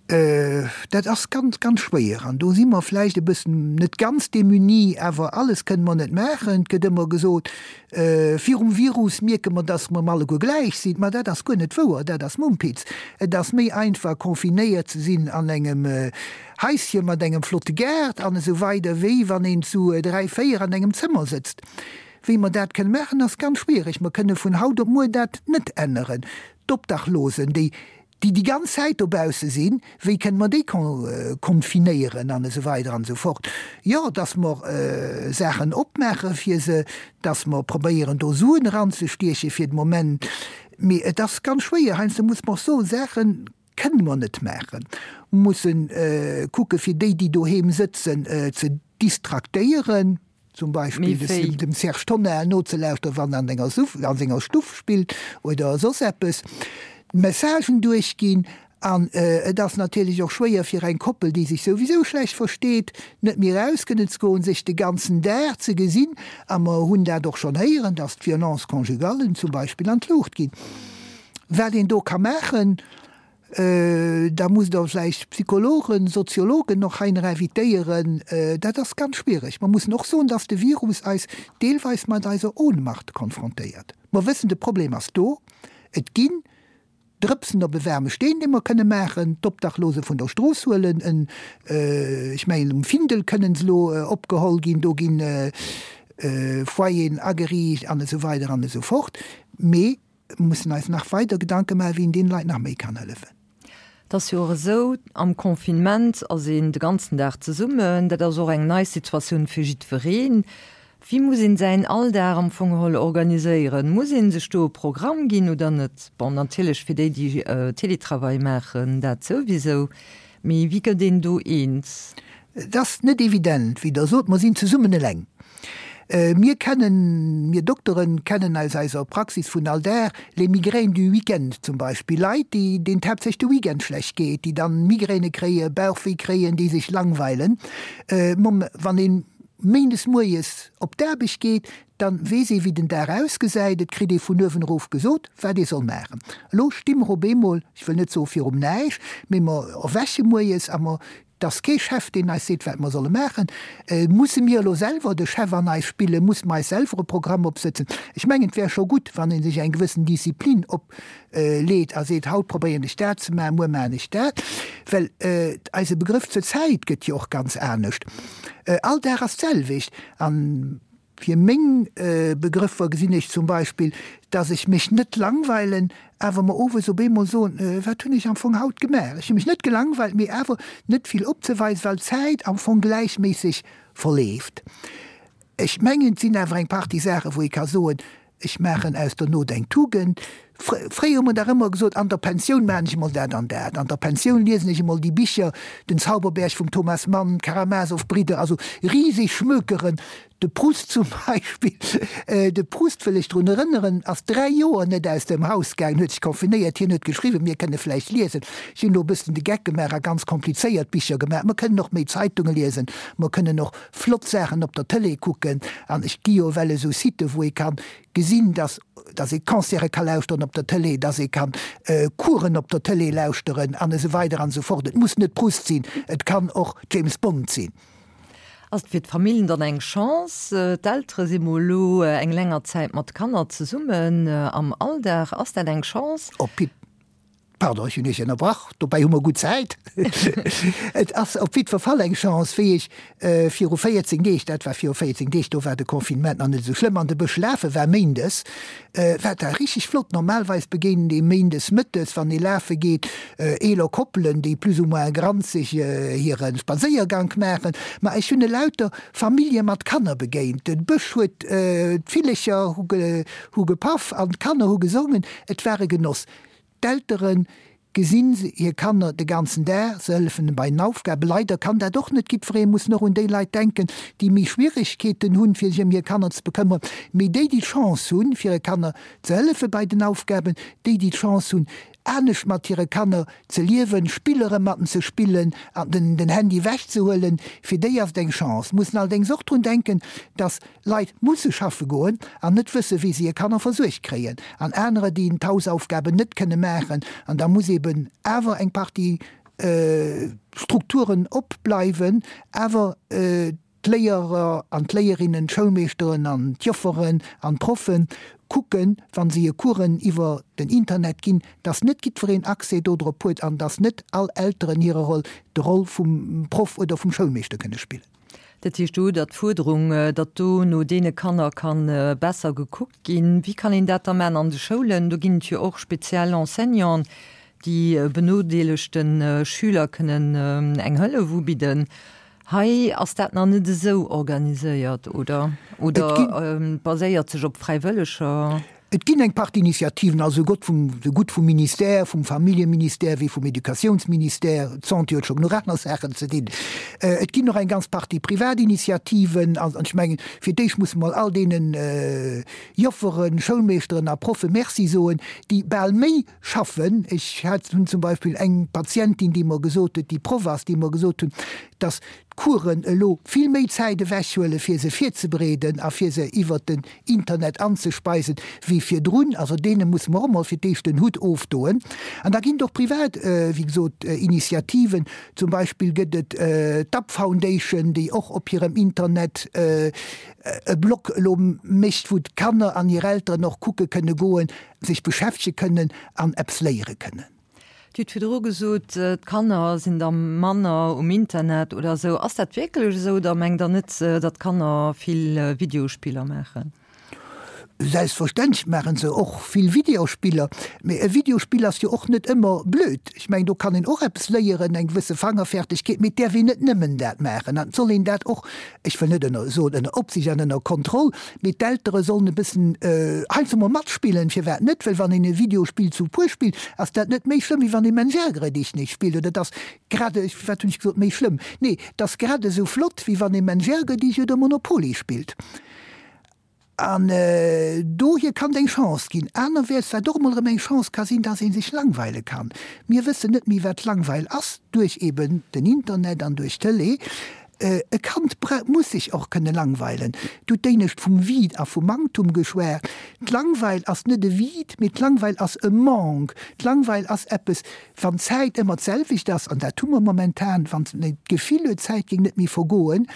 Dat ass ganz, ganz schwéier. An do si mer vläicht e bëssen, net ganz démunis, awer alles kënne mer net maachen. Et gëtt ëmmer gesot, virum Virus mierke mer, dass mer alleguer gläich sinn. Ma dat ass guer net wouer, dat ass Mumpitz. Et ass méi einfach, confinéiert ze sinn an engem Haische mat engem flotte Gaart an esou weider, wéi wann een zu dräi, véier an engem Zëmmer sëtzt. Wéi mer dat kënne maachen, ass ganz schwiereg. Mer kënne vun haut op muer dat net änneren. D'Obdachlosen, déi déi déi ganz Zäit dobausse sinn, wéi kënne mer déi confinéieren an esou weider an esou fort. Jo, dass mer Saachen opmaache fir se, dass mer probéieren do Suen eranzestieche fir de Moment, mee et ass ganz schwéier. Heiansdo muss mer och soen, Saache kënne mer net maachen. Mer musse kucke fir déi, déi doheem sëtzen, ze distraktéieren. Zum Beispill dem Serge Tonnar nozelauschteren, wann en an senger Stuff spillt oder soss eppes. Messagen duerchginn. An et ass natierlech och schwéier fir eng Koppel, déi sech souwisou schlecht versteet, net méi eraus kënnen ze goen, sech de ganzen Dag ze gesinn. A mer hunn dat och schonn héieren, dass d'Violences conjugales zum Beispill an d'Luucht ginn. Wat een do ka maachen, da musst Der vläicht Psychologen, Soziologen och hei nach invitéieren, dat ass ganz schwiereg. Mer mussen och soen, dass de Virus eis deelweis mat eiser Ohnmacht konfrontéiert. Mer wëssen, de Problem ass do. Et ginn Drëpsen op e waarme Steen, dee mer kënne maachen, d'Obdachlose vun der Strooss huelen, en, ech mengen um Findel kënnen se elo opgeholl ginn, do gi Foyeren ageriicht an esou weider an esou fort. Mee mer mussen eis nach weider Gedanke maachen, wéi een deene Leit nach méi kann hëllefen. Et ass jo och esou, am Confinement ass een de ganzen Dag zesummen, dat ass och eng nei Situatioun fir jiddwereen. Wéi muss een säin Alldag am Fong geholl organiséieren? Muss een sech do e Programm ginn oder net? Bon, natierlech fir déi, déi Télétravail maachen, dat souwisou, mee wéi gëtt een do eens? Et ass net evident, wéi Der sot. Mer sinn zesummen eleng. Mir kennen, mir Dokteren kennen aus eiser Praxis vun all Dag les migraines du week-end zum Beispill, Leit, déi, deenen et haaptsächlech de Weekend schlecht geet, déi dann Migräne kréien, Bauchwéi kréien, déi sech langweilen. Wann ee méindes moies op d'Aarbecht geet, da weess ee wéi den Dag ausgesäit, et kritt ee vun uewen erof gesot, wat ee soll maachen. Elo sti mer op eemol, ech wëll net soe virum Näischt, mee mer erwäche moies a mer 't ass kee Chef, deen eis seet, wat mer solle maachen. Musse mir elo selwer de Chef an eis spillen? Musse mer eis selwer e Programm opsëtzen? Ech mengen, et wär scho gutt, wann ee sech eng gewëssen Disziplin opleet a seet, Haut probéieren ech dat ze maachen, muer maachen ech dat. Well eise Begrëff zur Zäit gëtt jo och ganz anescht. All Dag ass d'selwecht. An Fir meng Begrëffer gesinn ech zum Beispill, dass ech mech net langweilen, awer mer owes op eemol soen, Wat hunn ech am Fong haut gemaach? Ech hu mech net gelangweilt, mee awer net vill opzeweisen, well d'Zäit am Fong gläichméisseg verleeft. Ech mengen, et sinn awer eng Partie Saachen, wou ee ka soen, Ech maachen aus der Not eng Tugend. Fréier hu mer dach ëmmer gesot, an der Pensioun maachen ech emol dat an dat, an der Pensioun liesen ech emol déi Bicher, Den Zauberberg vum Thomas Mann, d'Karamasow-Bridder, also riseg Schmökeren. De Proust zum Beispill, de Proust, wëll ech drun erënneren, ass 3 Joer net aus dem Haus gaangen, huet sech confinéiert, hien huet geschriwwen, mir kënne vläicht liesen. Ech hunn elo e bëssen de Geck gemaach a ganz komplizéiert Bicher gemaach. Mer kënnen och méi Zeitunge liesen, mer kënnen och flott Saachen op der Tëlee kucken an ech gi jo ewell esou Siten, wou ee kann gesinn, dass dass ee Concerte ka lauschteren op der Tëlee, dass ee kann Coursen op der Tëlee lauschteren an esou weider an esou fort. Et muss net Proust sinn, et kann och James Bond sinn. Ass et fir d'Familljen dann eng Chance? D'Eltere si mol elo eng länger Zäit mat de Kanner zesummen am Alldag. Ass dat eng Chance? Op. Pardon, ech hunn Iech ënnerbrach, dobäi hu mer gutt Zäit. Et ass op jiddwer Fall eng Chance, wéi ech viru 14 Deeg, dat war viru 14 Deeg, do war de Confinement nach net esou schlëmm, an de Bësch lafe war méindes, war dat richteg flott. Normalweis begéint ee méindes mëttes, wann ee lafe geet, eeler Koppelen, déi plus ou moins granzeg hire Spadséiergank maachen. Ma ech hunn elauter Famillje mat Kanner begéint. De Bësch huet, d'Villecher hu gepaff an d'Kanner hu gesongen. Et war e Genoss. D'Eltere gesinn hir Kanner de ganzen Dag, se hëllefen bei den Aufgaben. Leider kann dat och net jiddweree, mussen och un déi Leit denken, déi méi Schwieregkeeten hunn, fir sech ëm hir Kanner ze bekëmmeren. Mee déi, déi d'Chance hunn, fir hire Kanner ze hëllefe bei den Aufgaben, déi, déi d'Chance hunn, anescht mat hire Kanner ze liewen, Spiller mat en ze spillen an den Handy ewechzehuelen, fir déi ass et eng Chance. Mussen allerdéngs och drun denken, dass Leit musse schaffe goen an net wësse wéi se hir Kanner versuergt kréien an anerer déi d'Hausaufgaben net kënne maachen an da muss eben awer eng Partie Strukturen opbleiwen, awer d'Léierer an d'Léierinnen, d'Schoulmeeschteren an d'Jofferen an d'Proffen kucken, wa se hir Coursen iwwer den Internet ginn, dass net jiddwereen Accès dodrop huet an dass net all Elteren hire Roll, de Roll vum Proff oder vum Schoulmeeschter kënne spillen. Dat heescht, do hutt Der d'Fuerderung, datt do no deene Kanner ka besser gekuckt ginn. Wéi kann een dat da maachen an de Schoulen? Do ginn et jo och speziell Enseignanten, déi benodeelegte Schüler kënnen eng Hëllef ubidden. Hei ass dat nach net esou organiséiert, oder? Oder baséiert sech op Fräiwëlleger? Et ginn eng Partie Initiativen, also esou gutt vum, esou gutt vum Ministère, vum Familljeministère wéi vum Educatiounsministère. D'Santé huet scho genuch aner Saachen ze dinn. Et ginn och eng ganz Partie privat Initiativen. An ech mengen, fir d'éischt musse mer all deene Jofferen, Schoulmeeschteren a Proffe Merci soen, déi bal méi schaffen. Ech hat, hunn zum Beispill eng Patientin, déi mer gesot huet, déi Proff ass, déi mer gesot hunn, dass d'Coursen elo vill méi Zäit ewechhuelen, fir se virzebereeden a fir se iwwert den Internet anzespeisen, wéi virdrun. Also deene musse mer och emol fir d'éischt den Hutt ofdoen. An da ginn et och privat, wéi gesot, Initiativen. Zum Beispill gëtt et d'App Foundation, déi och op hirem Internet e Blog elo mécht, wou d'Kanner an hir Elteren och kucke kënne goen, sech beschäftege kënnen an eppes léiere kënnen. Dir hutt virdru gesot, d'Kanner sinn da manner um Internet oder esou. Ass dat wierklech esou oder mengt Der net, datt d'Kanner vill Videospiller maachen? Selbstverständlech maache se och vill Videospiller. Mee e Videospill ass jo och net ëmmer blöd. Ech mengen, do kann een och eppes léieren, eng gewësse Fangerfertigkeet. Mee et däerf een net nëmmen dat maachen. An et soll een dat och ech wëll net ënner soen ënner Opsicht an ënner Kontroll, mee d'Eltere sollen e bëssen heiansdo mol matspillen, firwat net, well wann een e Videospill zu puer spillt, ass dat net méi schlëmm wéi wann ee Mensch ärgere dich nicht spillt, oder et ass grad, wat hunn ech gesot, méi schlëmm, nee, et ass grad esou flott wéi wann ee Mensch ärgere dich oder Monopoly spillt. An dohier kann et eng Chance ginn. Anerwäerts, wat och emol erëm eng Chance ka sinn, dass ee sech langweile kann. Mir wëssen net méi, wat Langweil ass, duerch eben den Internet an duerch d'Tëlee. E Kand muss sech och kënne langweilen. Du hutt d'éinescht vum Vide a vum Manktum geschwat. D'Langweil ass net e Vide, mee d'Langweil ass e Manque. D'Langweil ass eppes, wann d'Zäit ëmmer d'selwecht ass, an dat hu mer momentan, wann een d'Gefill huet, d'Zäit géing net méi vergoen,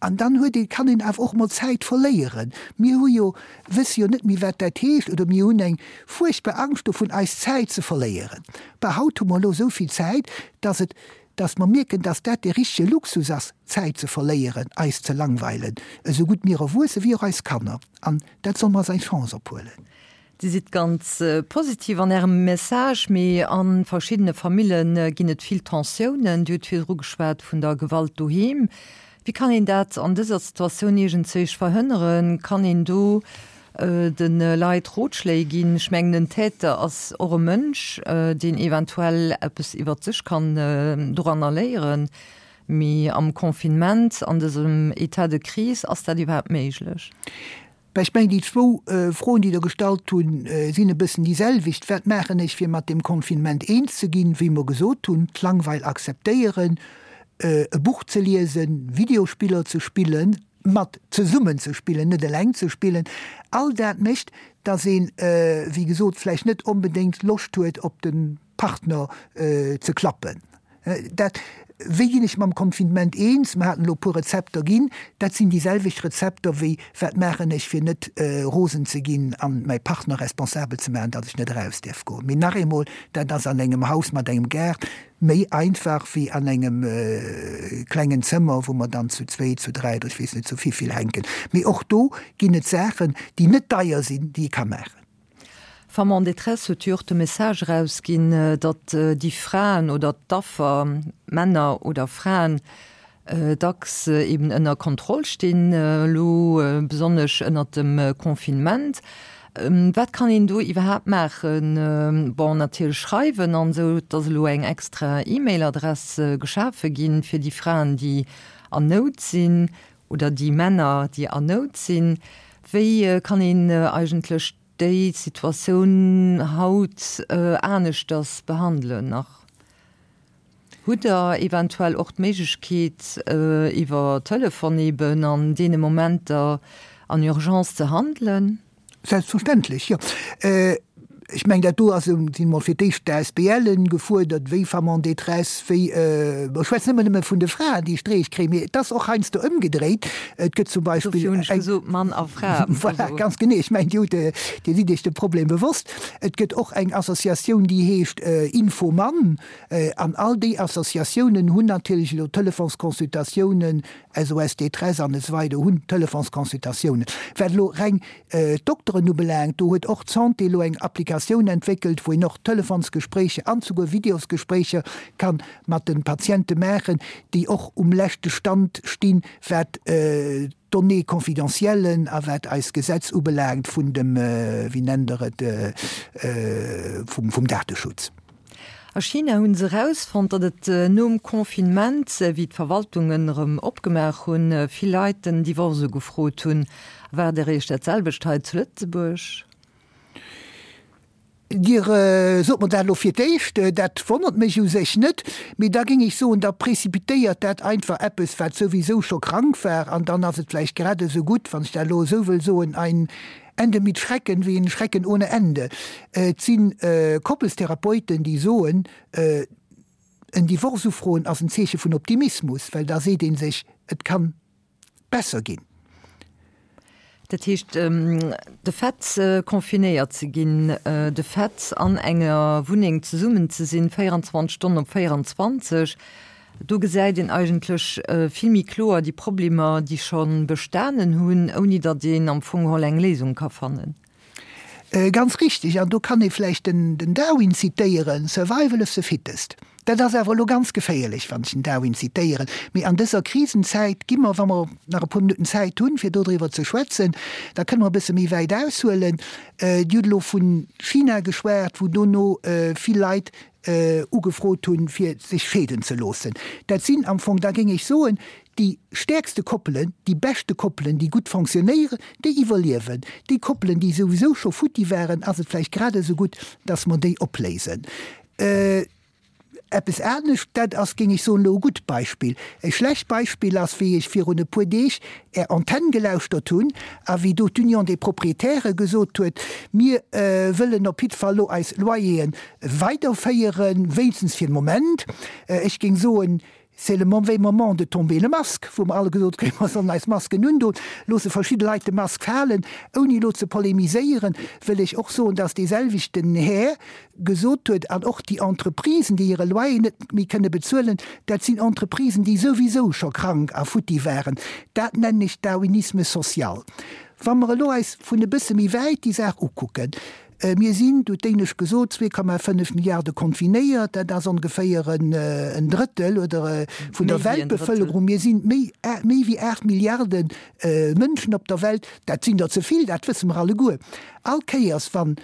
An dann huet ee, kann een awer och mol Zäit verléieren. Mir hu jo, wësse jo net méi wat dat heescht, oder mir hunn eng fuerchtbar Angscht dovun eis Zäit ze verléieren. Bah, haut hu mer elo esou vill Zäit, dass et, dass mer mierken, dass dat dee richtege Luxus ass, Zäit ze verléieren, eis ze langweilen, esou gutt mir Erwuesse wéi och eis Kanner. An dat solle mer als eng Chance ophuelen. Dir sidd ganz positiv an Ärem Message, mee a verschiddene Famille ginn et vill Tensiounen. Dir hutt virdru geschwat vun der Gewalt doheem. Wéi kann een dat an dëser Situatioun iergendzéich verhënneren? Kann een do de Leit Rotschléi ginn? Ech mengen, en Täter ass och e Mënsch, deen eventuell eppes iwwert sech kann doranner léieren. Mee am Confinement, an dësem État de crise, ass dat iwwerhaapt méiglech? Bah, ech mengen, déi zwou Froen, déi Der gestallt hunn, sinn e bëssen déi selwecht. Wat maachen ech, fir mat deem Confinement eens ze ginn? Wéi mer gesot hunn, d'Langweil akzeptéieren, e Buch ze liesen, Videospiller ze spillen, mat zesummen ze spillen, net eleng ze spillen. All dat mécht, dass een, wéi gesot, vläicht net onbedéngt Loscht huet, op de Partner ze klappen. Dat, wéi ginn ech mam Confinement eens? Mer haten elo e puer Rezepter ginn. Dat sinn déi selwecht Rezepter wéi, wat maachen ech, fir net rosen ze ginn an mäi Partner responsabel ze maachen, datt ech net eraus däerf goen. Mee nach eemol, dat ass an engem Haus mat engem Gaart méi einfach wéi an engem klengen Zëmmer, wou mer dann zu zwéi, zu dräi oder ech weess net zu vivill hänken. Mee och do ginn et Saachen, déi net deier sinn, déi ee ka maachen. Femmes en détresse huet jo och de Message erausginn, datt déi Fraen oder d'Affer, Männer oder Fraen, dacks eben ënner Kontroll stinn, elo besonnesch ënnert dem Confinement. Wat kann een do iwwerhaapt maachen? Bon, natierlech schreiwen an esou, et ass elo eng extra E-Mail-Adress geschafe ginn fir déi Fraen, déi an Nout sinn. Oder déi Männer, déi an Nout sinn. Wéi kann een eigentlech déi Situatioun haut aneschters behandelen nach? Hutt Der eventuell och d'Méiglechkeet, iwwer Telefon eben an deene Momenter an Urgence ze handelen? Selbstverständlech, jo. Ech mengen, dat do ass, sinn emol fir d'éischt d'ASBLen gefuerdert, wéi Femmes en détresse, wéi, ech schwätzen ëmmer nëmme vun de Fraen, déi Streech kréien, mee et ass och heiansdo ëmgedréit. Et gëtt zum Beispill. Dofir hunn ech gesot, Mann a Fra. Voilà, ganz genee. Ech mengen, Dir hutt, Dir sidd Iech de Problem bewosst. Et gëtt och eng Associatioun, déi heescht Infomann. An all déi Associatiounen hunn natierlech elo Telefonsconsultatiounen, SOS Détresse an esou weider hunn Telefonsconsultatiounen. Wat elo reng d'Dokteren ubelaangt, do huet och d'Santé elo eng Applikatioun. Applikatioun entwéckelt, wou een och Telefonsgespréicher an souguer Videosgespréicher ka mat de Patiente maachen, déi och um leschte Stand stinn, wat d'Données confidentielles a wat eist Gesetz ubelaangt vun dem, wéi nennt Der et, vum Dateschutz. A China hunn se erausfonnt, datt et nom Confinement, wéi d'Verwaltungen erëm opgemaach hunn, vill Leit den Divorce ugefrot hunn. Erwaart Der Iech dat selwecht hei zu Lëtzebuerg? Dir sot mer dat elo fir d'éischt, dat wonnert mech u sech net, mee da géing ech soen, da précipitéiert dat einfach eppes, wat souwisou scho krank war, an dann ass et vläicht grad esou gutt, wann ech dat elo esou wëll soen, ein Ende mit Schrecken wéi en Schrecken ohne Ende. Et si Koppelstherapeuten, déi soen, en Divorce ufroen ass en Zeeche vun Optimismus, well da seet ee sech, et kann besser ginn. Dat heescht, de Fait, confinéiert ze ginn, de Fait, an enger Wunneng zesummen ze sinn, 24 Stonnen op 24, Do gesäit een eigentlech vill méi kloer déi Problemer, déi scho bestanen hunn, ouni datt een am Fong geholl eng Léisung ka fannen. Ganz richtig. An do kann ee vläicht den Darwin zitéieren, Survival of the fittest. Dat ass awer elo ganz geféierlech, wann ech den Darwin zitéieren. Mee an dëser Krisenzäit gi mer, wa mer nach e puer Minutten Zäit hunn, fir dodriwwer ze schwätzen, da kënne mer e bësse méi wäit aushuelen. Dir hutt elo vu China geschwat, wou dono vill Leit ugefrot hunn, fir sech scheeden ze loossen. Dat sinn am Fong, da géing ech soen, déi stäerkste Koppelen, déi beschte Koppelen, déi gutt fonctionnéieren, déi iwwerliewen. Déi Koppelen, déi souwisou scho futti waren, ass et vläicht grad esou gutt, dass mer déi opléisen. Eppes anescht, dat ass, géing ech soen, elo e gutt Beispill. E schlecht Beispill ass, wéi ech virun e puer Deeg Är Antenn gelauschtert hunn a wéi do d'Union des Propriétaires gesot huet, Mir wëllen op jiddwer Fall elo eis Loyeren weiderféieren, wéinstens fir de Moment. Ech géing soen, c'est le mauvais moment de tomber le masque, wou mer alle gesot kréien, mer sollen eis Masken undoen, loosse verschidde Leit de Mask falen. Ouni elo ze polemiséieren, wëll ech och soen, dass deeselwechten Här gesot huet, an och déi Entreprisen, déi hire Loyer net méi kënne bezuelen, dat sinn Entreprisen, déi souwisou scho krank a futti waren. Dat nennen ech Darwinisme social. Wa mer elo eis vun e bësse méi wäit déi Saach ukucken, Mir sinn, du huet d'éinescht gesot, 2,5 Milliarde confinéiert, dat ass ongeféier en Drëttel oder vun der Weltbevëlkerung. Mir sinn méi méi wéi 8 Milliarde Mënschen op der Welt, dat sinn der ze vill, dat wësse mer alleguer. All Kéiers wann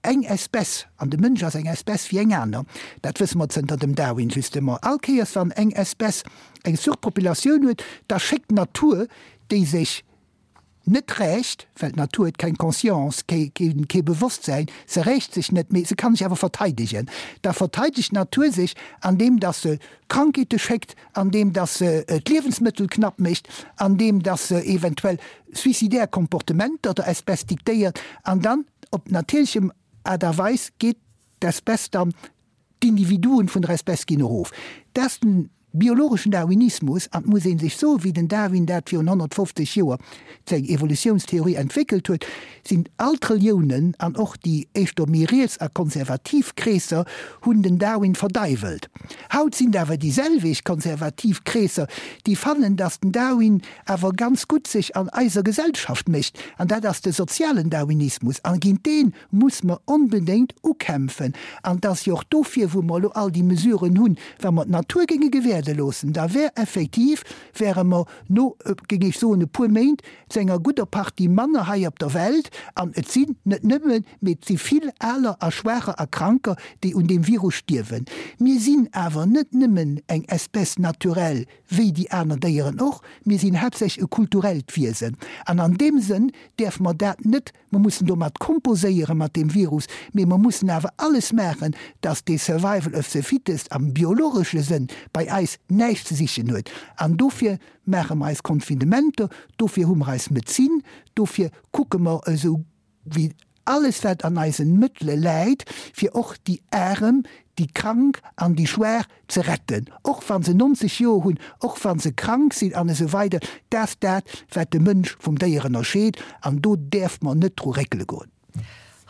eng Espèce, an de Mënsch ass eng Espèce wéi eng aner, dat wësse mer zënter dem Darwin justement, all Kéiers wann eng Espèce eng Surpopulatioun huet, da schéckt d'Natur, déi sech net rächt, well d'Natur huet keng Conscience, kee Bewosstsäin, se rächt sech net, mee se kann sech awer verteidegen. Da verteidegt d'Natur sech, andeem datt se Krankheete schéckt, andeem datt se d'Liewensmëttel knapp mécht, andeem datt se eventuell suicidaire Comportementer der Espèce diktéiert, an dann op natierlechem Aart a Weis geet d'Espèce dann D'Individuen vun der Espèce ginn erof. Dat ass den biologeschen Darwinismus, an et muss ee sech soen, wéi den Darwin dat virun 150 Joer seng Evolutiounstheorie entwéckelt huet, sinn all d'Reliounen an och déi éischter méi riets a konservativ Kreesser hunn den Darwin verdeiwelt. Haut sinn et awer déi selwecht konservativ Kreesser, déi fannen, datt den Darwin awer ganz gutt sech an eiser Gesellschaft mécht, an dat ass de sozialen Darwinismus, a géint dee muss mer onbedéngt ukämpfen. An et ass jo och dofir, wou mer elo all déi Mesuren hunn, wa mer d'Natur géinge gewäerde loossen, da wär effektiv, wäre mer no, géing ech soen, e puer Méint zu enger gudder Partie manner hei op der Welt. An et sinn net nëmmen, mee et si vill Aler a Schwaacher a Kranker, déi un deem Virus stierwen. Mir sinn awer net nëmmen eng Espèce naturelle wéi déi aner Déieren och, mir sinn haaptsächlech e kulturellt Wiesen. An an deem Sënn däerfe mer dat net Mer mussen domat komposéieren, mat deem Virus, mee mer mussen awer alles maachen, dass dee Survival of the fittest am biologesche Sënn bei eis näischt ze sichen huet. An dofir maache mer eis Confinementer, dofir hu mer eis Medezin, dofir kucke mer esou wéi alles wat an eisen Mëttele läit, fir och déi Arem, déi Krank an déi Schwaach ze retten, och wa se 90 Joer hunn, och wa se krank sinn an esou weider. Dat ass dat, wat de Mënsch vum Déier ënnerscheet, an do däerf mer net dru réckele goen.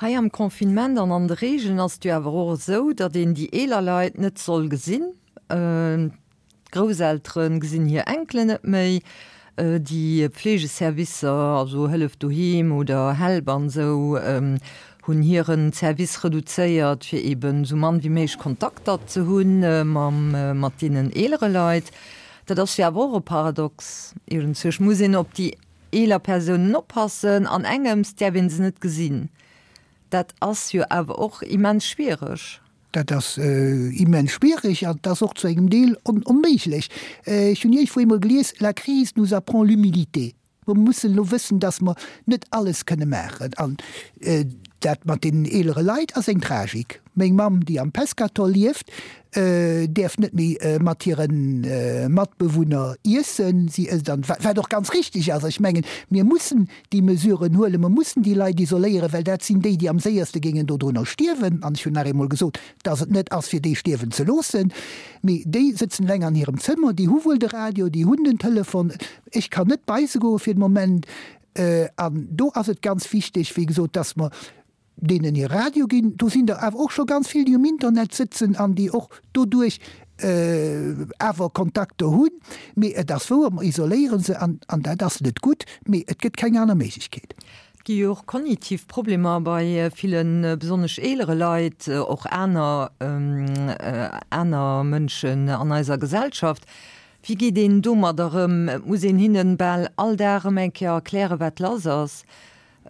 Hei am Confinement an an de Regeln ass et jo awer och esou, datt een déi eeler Leit net soll gesinn. D'Grousseltere gesinn hir Enkelen net méi. Déi Pflegeservicer, also Hëllef doheem oder Help an esou,. Hunn hiren Service reduzéiert, fir eben esou mann wéi méiglech Kontakter ze hunn mam, mat deenen eelere Leit. Dat ass jo awer och e Paradox. Iergendzuerch muss een op déi eeler Persounen oppassen, an engems däerf een se net gesinn. Dat ass jo awer och immens schwiereg. Dat ass immens schwiereg an et ass och zu engem Deel onméiglech. Ech hunn iergendwou eemol gelies, La crise nous apprend l'humilité. Mer mussen elo wëssen, dass mer net alles kënne maachen. An dat mat deenen eelere Leit ass eng Tragik. Meng Mamm, déi am Pescator lieft, däerf net méi mat hire Matbewunner iessen. Si ësst an, wat och ganz richtig ass. Ech mengen, mir mussen déi Mesuren huelen, mer mussen déi Leit isoléieren, well dat sinn déi, déi am séierste géingen dodrunner stierwen. An ech hunn nach eemol gesot, dass et net ass, fir déi stierwen ze loossen. Mee déi sëtzen eleng an hirem Zëmmer, déi hu wuel de Radio, déi hunn den Telefon. Ech kann net bei se goe fir de Moment. An do ass et ganz wichteg, wéi gesot, dass mer deenen hir Radio ginn. Do sinn der awer och scho ganz vill, déi um Internet sëtzen an déi och doduerch awer Kontakter hunn. Mee et ass wouer, mer isoléiere se an dat ass net gutt, mee et gëtt keng aner Méiglechkeet. Et gi jo och kognitiv Problemer bei villen, besonnesch eelere Leit, och aner aner Mënschen an eiser Gesellschaft. Wéi geet een domadder ëm? Et muss een hinnen bal all Dag erëm eng Kéier erklären, wat lass ass.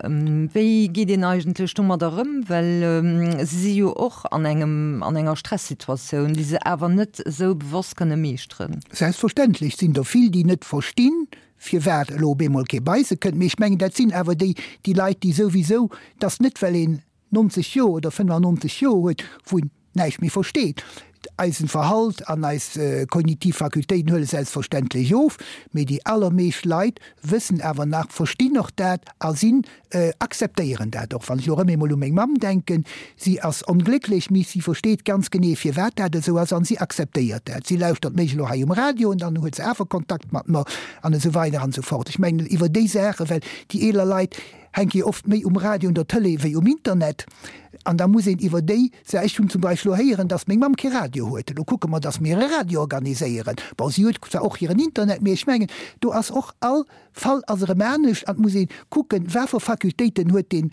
Wéi geet een eigentlech domadder ëm? Well se si jo och an engem, an enger Stressituatioun, déi se awer net esou bewosst kënne meeschteren. Selbstverständlech sinn der vill, déi net verstinn, firwat elo op eemol kee bei se kënnt. Mee ech mengen, dat sinn awer déi, déi Leit, déi souwisou, dass net well een 90 Joer oder 95 Joer huet, wou een näischt méi versteet. Eisen Verhalt an eis kognitiv Fakultéiten huele selbstverständlech of, mee déi allermeescht Leit wëssen awer nach, verstinn och dat a sinn, akzeptéieren dat och. Wann ech elo erëm eemol u meng Mamm denken, si ass onglécklech, mee si versteet ganz genee firwat dat esou ass an si akzeptéiert dat. Si lauschtert mech elo hei um Radio an dann huet se awer Kontakt mat mer an esou weider an esou fort. Ech mengen iwwer déi Saachen, well déi eeler Leit, hänke jo oft méi um Radio un der Tëlee wéi um Internet an da muss een iwwer déi Sa Ech hunn zum Beispill elo héieren, datt meng Mamm kee Radio huet. Elo kucke mer, datt mir e Radio organiséieren. Bon, si huet zwar och hiren Internet, mee ech mengen, do ass och all Fall ass erëm anescht an et muss ee kucken, wat fir Fakultéiten huet deen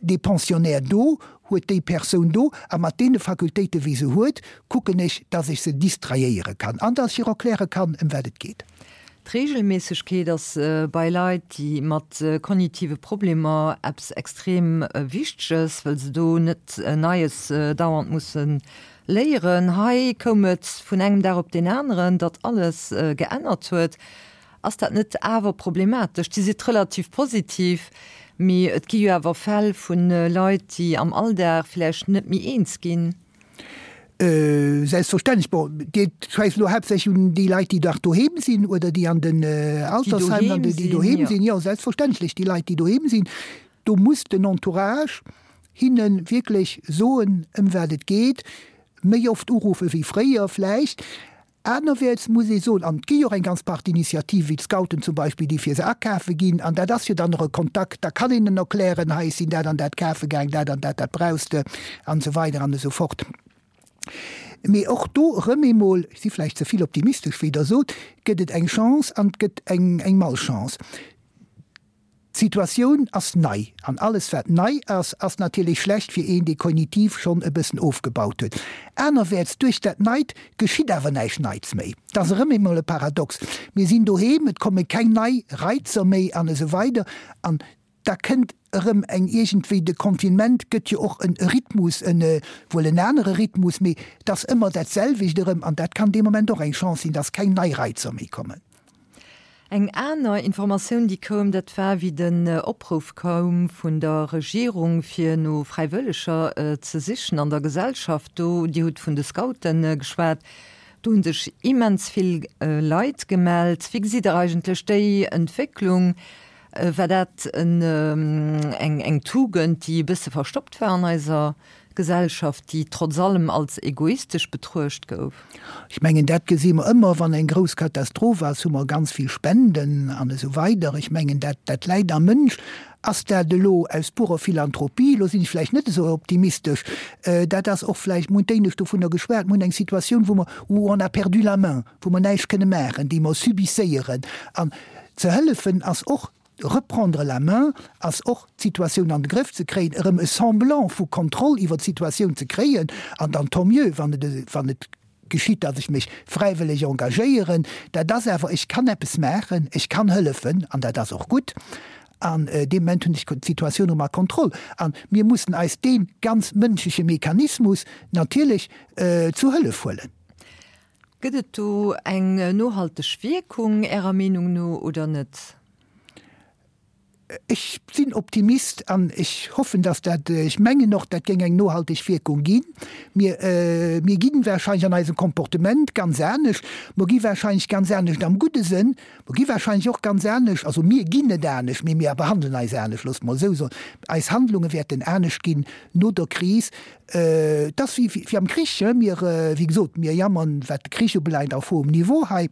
dee Pensionnaire do, huet déi Persoun do a mat deene Fakultéiten, wéi se huet, kucken ech, datt ech se distraiéiere kann an datt ech hir erkläre kann, ëm wat et geet. D'Reegelméissegkeet ass bei Leit, déi mat kognitive Problemer eppes extrem Wichteges, wëll se do net Neies dauernd musse léieren. Hei koum et vun engem Dag op deen aneren, datt alles geännert huet. Ass dat net awer problematesch? Dir sidd relativ positiv, mee et gi jo awer Fäll vu Leit, déi am Alldag vläicht net méi eens ginn. Selbstverständlech. Bon, Dir schwätzt elo haaptsächlech un déi Leit, déi dach doheem sinn oder déi an den Altersheimer, déi doheem sinn. Jo, selbstverständlech, déi Leit, déi doheem sinn. Do muss den Entourage hinne wierklech soen, ëm wat et geet, méi oft uruffe wéi fréier vläicht. Anerwäerts muss ee soen, an et gi jo och eng ganz Partie Initiative wéi d'Scouten zum Beispill, déi fir se akafe ginn, an dat ass jo dann och e Kontakt, da kann een en erklären, hei ech sinn dat an dat kafe gaang, dat an dat, dat brauchs de, an esou weider an esou fort. Mee och do erëm eemol, ech si vläicht ze vill optimistesch, wéi Der sot, gëtt et eng Chance an et gëtt eng Malchance. D'Situatioun ass nei, an alles wat nei ass, ass natierlech schlecht fir een, dee kognitiv schonn e bëssen ofgebaut huet. Anerwäerts, duerch dat Neit geschitt awer näischt Neits méi. Et ass erëm eemol e Paradox. Mir sinn doheem, et komme keng nei Reizer méi an esou weider an da kënnt erëm eng iergendwéi, de Confinement gëtt jo och en Rhythmus, en wuel en anere Rhythmus, mee et ass ëmmer dat selwecht erëm an dat kann dee Moment och eng Chance sinn, dass keng nei Reizer méi kommen. Eng aner Informatioun, déi koum, dat war, wéi den Opruff koum vun der Regierung, fir no Fräiwëlleger ze sichen an der Gesellschaft. Do, Dir hutt vun de Scoute geschwat, do hu sech immens vill Leit gemellt. Wéi gesitt Der eigentlech déi Entwécklung? War dat eng Tugend, déi e bësse verstoppt war an eiser Gesellschaft, déi trotz allem als egoistesch betruecht gouf. Ech mengen, dat gesi mer ëmmer, wann eng grouss Katastroph ass, hu mer ganz vill Spenden an esou weider. Ech mengen, dat, dat läit am Mënsch. Ass dat elo aus purer Philanthropie? Elo sinn ech vläicht net esou optimistesch. Dat ass och vläicht, mir hunn d'éinescht dovunner geschwat, mir hunn eng Situatioun, wou mer, où on a perdu la main, wou mer näischt kënne maachen, déi mer subisséieren. An ze hëllefen ass och. Reprendre la main ass och d'Situatioun an de Grëff ze kréien, erëm e Semblant vu Kontroll iwwer d'Situatioun ze kréien an dann tant mieux, wann et, wann et geschitt, datt ech mech fräiwëlleg engagéieren. Dat ass awer, ech kann eppes maachen, ech kann hëllefen an dat ass och gutt. An dee Moment hunn ech d'Situatioun erëm a Kontroll. A mir mussen eis dee ganz mënschleche Mechanismus natierlech zu Hëllef huelen. Gëtt et do eng nohalteg Wierkung Ärer Meenung no oder net? Ech sinn Optimist an ech hoffen, dass dat, ech mengen och, dat géing eng nohalteg Wierkung ginn. Mir, mir gi wahrscheinlech an eisem Comportement ganz anescht. Mer gi wahrscheinlech ganz anescht am gudde Sënn. Mer gi wahrscheinlech och ganz anescht, also mir ginn net anescht, mee mir behandelen eis anescht, loosse mer esou soen. Eis Handlunge wäerten anescht ginn no der Kris. Et ass wéi, wéi am Krich, mir, wéi gesot, mir jammern, wat de Krich ubelaangt, auf hohem Niveau hei.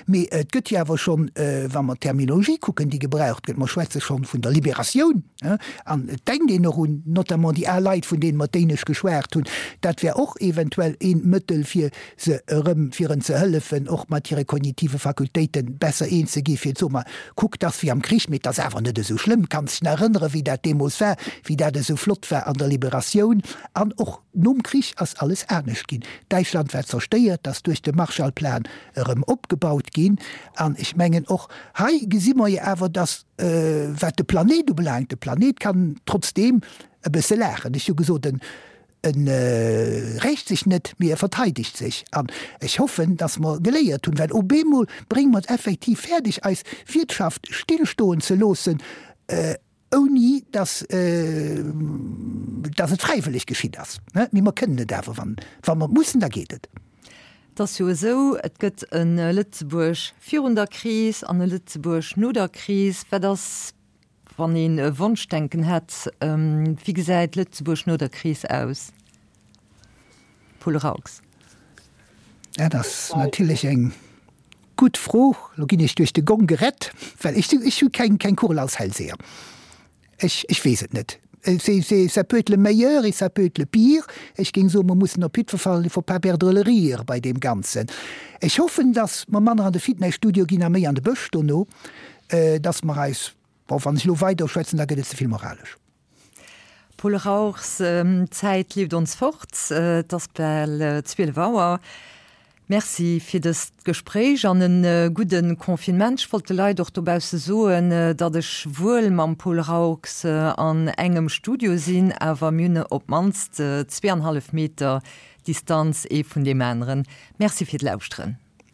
Mee et gëtt jo awer schonn, wa mer d'Terminologie kucken, déi gebraucht gëtt, mer schwätze schonn vun der Liberatioun, an et denkt een och un notamment déi al Leit, vun deene mer d'éinescht geschwat hunn, dat wär och eventuell ee Mëttel, fir se erëm, fir en ze hëllefen, och mat hire kognitive Fakultéiten besser eens ze gi fir ze soen, ma kuck, 't ass wéi am Krich, mee 't ass awer net esou schlëmm, kanns dech nach erënneren, wéi dat deemools war, wéi dat esou flott war an der Liberatioun an och. Nom Krich ass alles anescht ginn. Däitschland war zerstéiert, ass duerch de Marshallplan erëm opgebaut ginn. An ech mengen, och hei gesi mer jo awer, dass, wat de Planet ubelaangt, de Planet kann trotzdeem e bësse laachen. Ech hu gesot, en rächt sech net, mee e verteidegt sech. An ech hoffen, dass mer geléiert hunn, well op eemol brénge mer et effektiv fäerdeg, eis Wirtschaft stillstoen ze loossen, Ouni dass, dass et fräiwëlleg geschitt ass. Mee mer kënnen et awer, wann, wa mer mussen, da geet et. Et ass jo esou, et gëtt e Lëtzebuerg virun der Kris an e Lëtzebuerg no der Kris. Wat ass, wann een e Wonschdenken hätt, wéi gesäit Lëtzebuerg no der Kris aus? Paul Raux. Dat ass natierlech eng Gutt Fro. Lo ginn ech duerch de Gong gerett, well ech ech hu keng keng Kugel als Hellseher. Ech ech weess et net. C'est c'est ça peut être le meilleur et ça peut être le pire. Ech géing soen, mer mussen op jiddwer Fall, il faut pas perdre le rire bei deem Ganzen. Ech hoffen, datt mer manner an de Fitnesstudio ginn a méi an de Bësch dono, datt mer eis, bon, wann ech elo weider schwätzen, da gëtt et ze vill moralesch. Paul Rauchs, D'Zäit leeft ons fort, et ass bal 12 Auer. Merci fir dëst Gespréich an e gudde Confinement. Ech wollt de Leit och dobausse soen, datt ech wuel mam Paul Rauchs an engem Studio sinn, awer mir hunn op d'mannst zweeanhallef Meter Distanz ee vun deem aneren. Merci fir d'Lauschteren.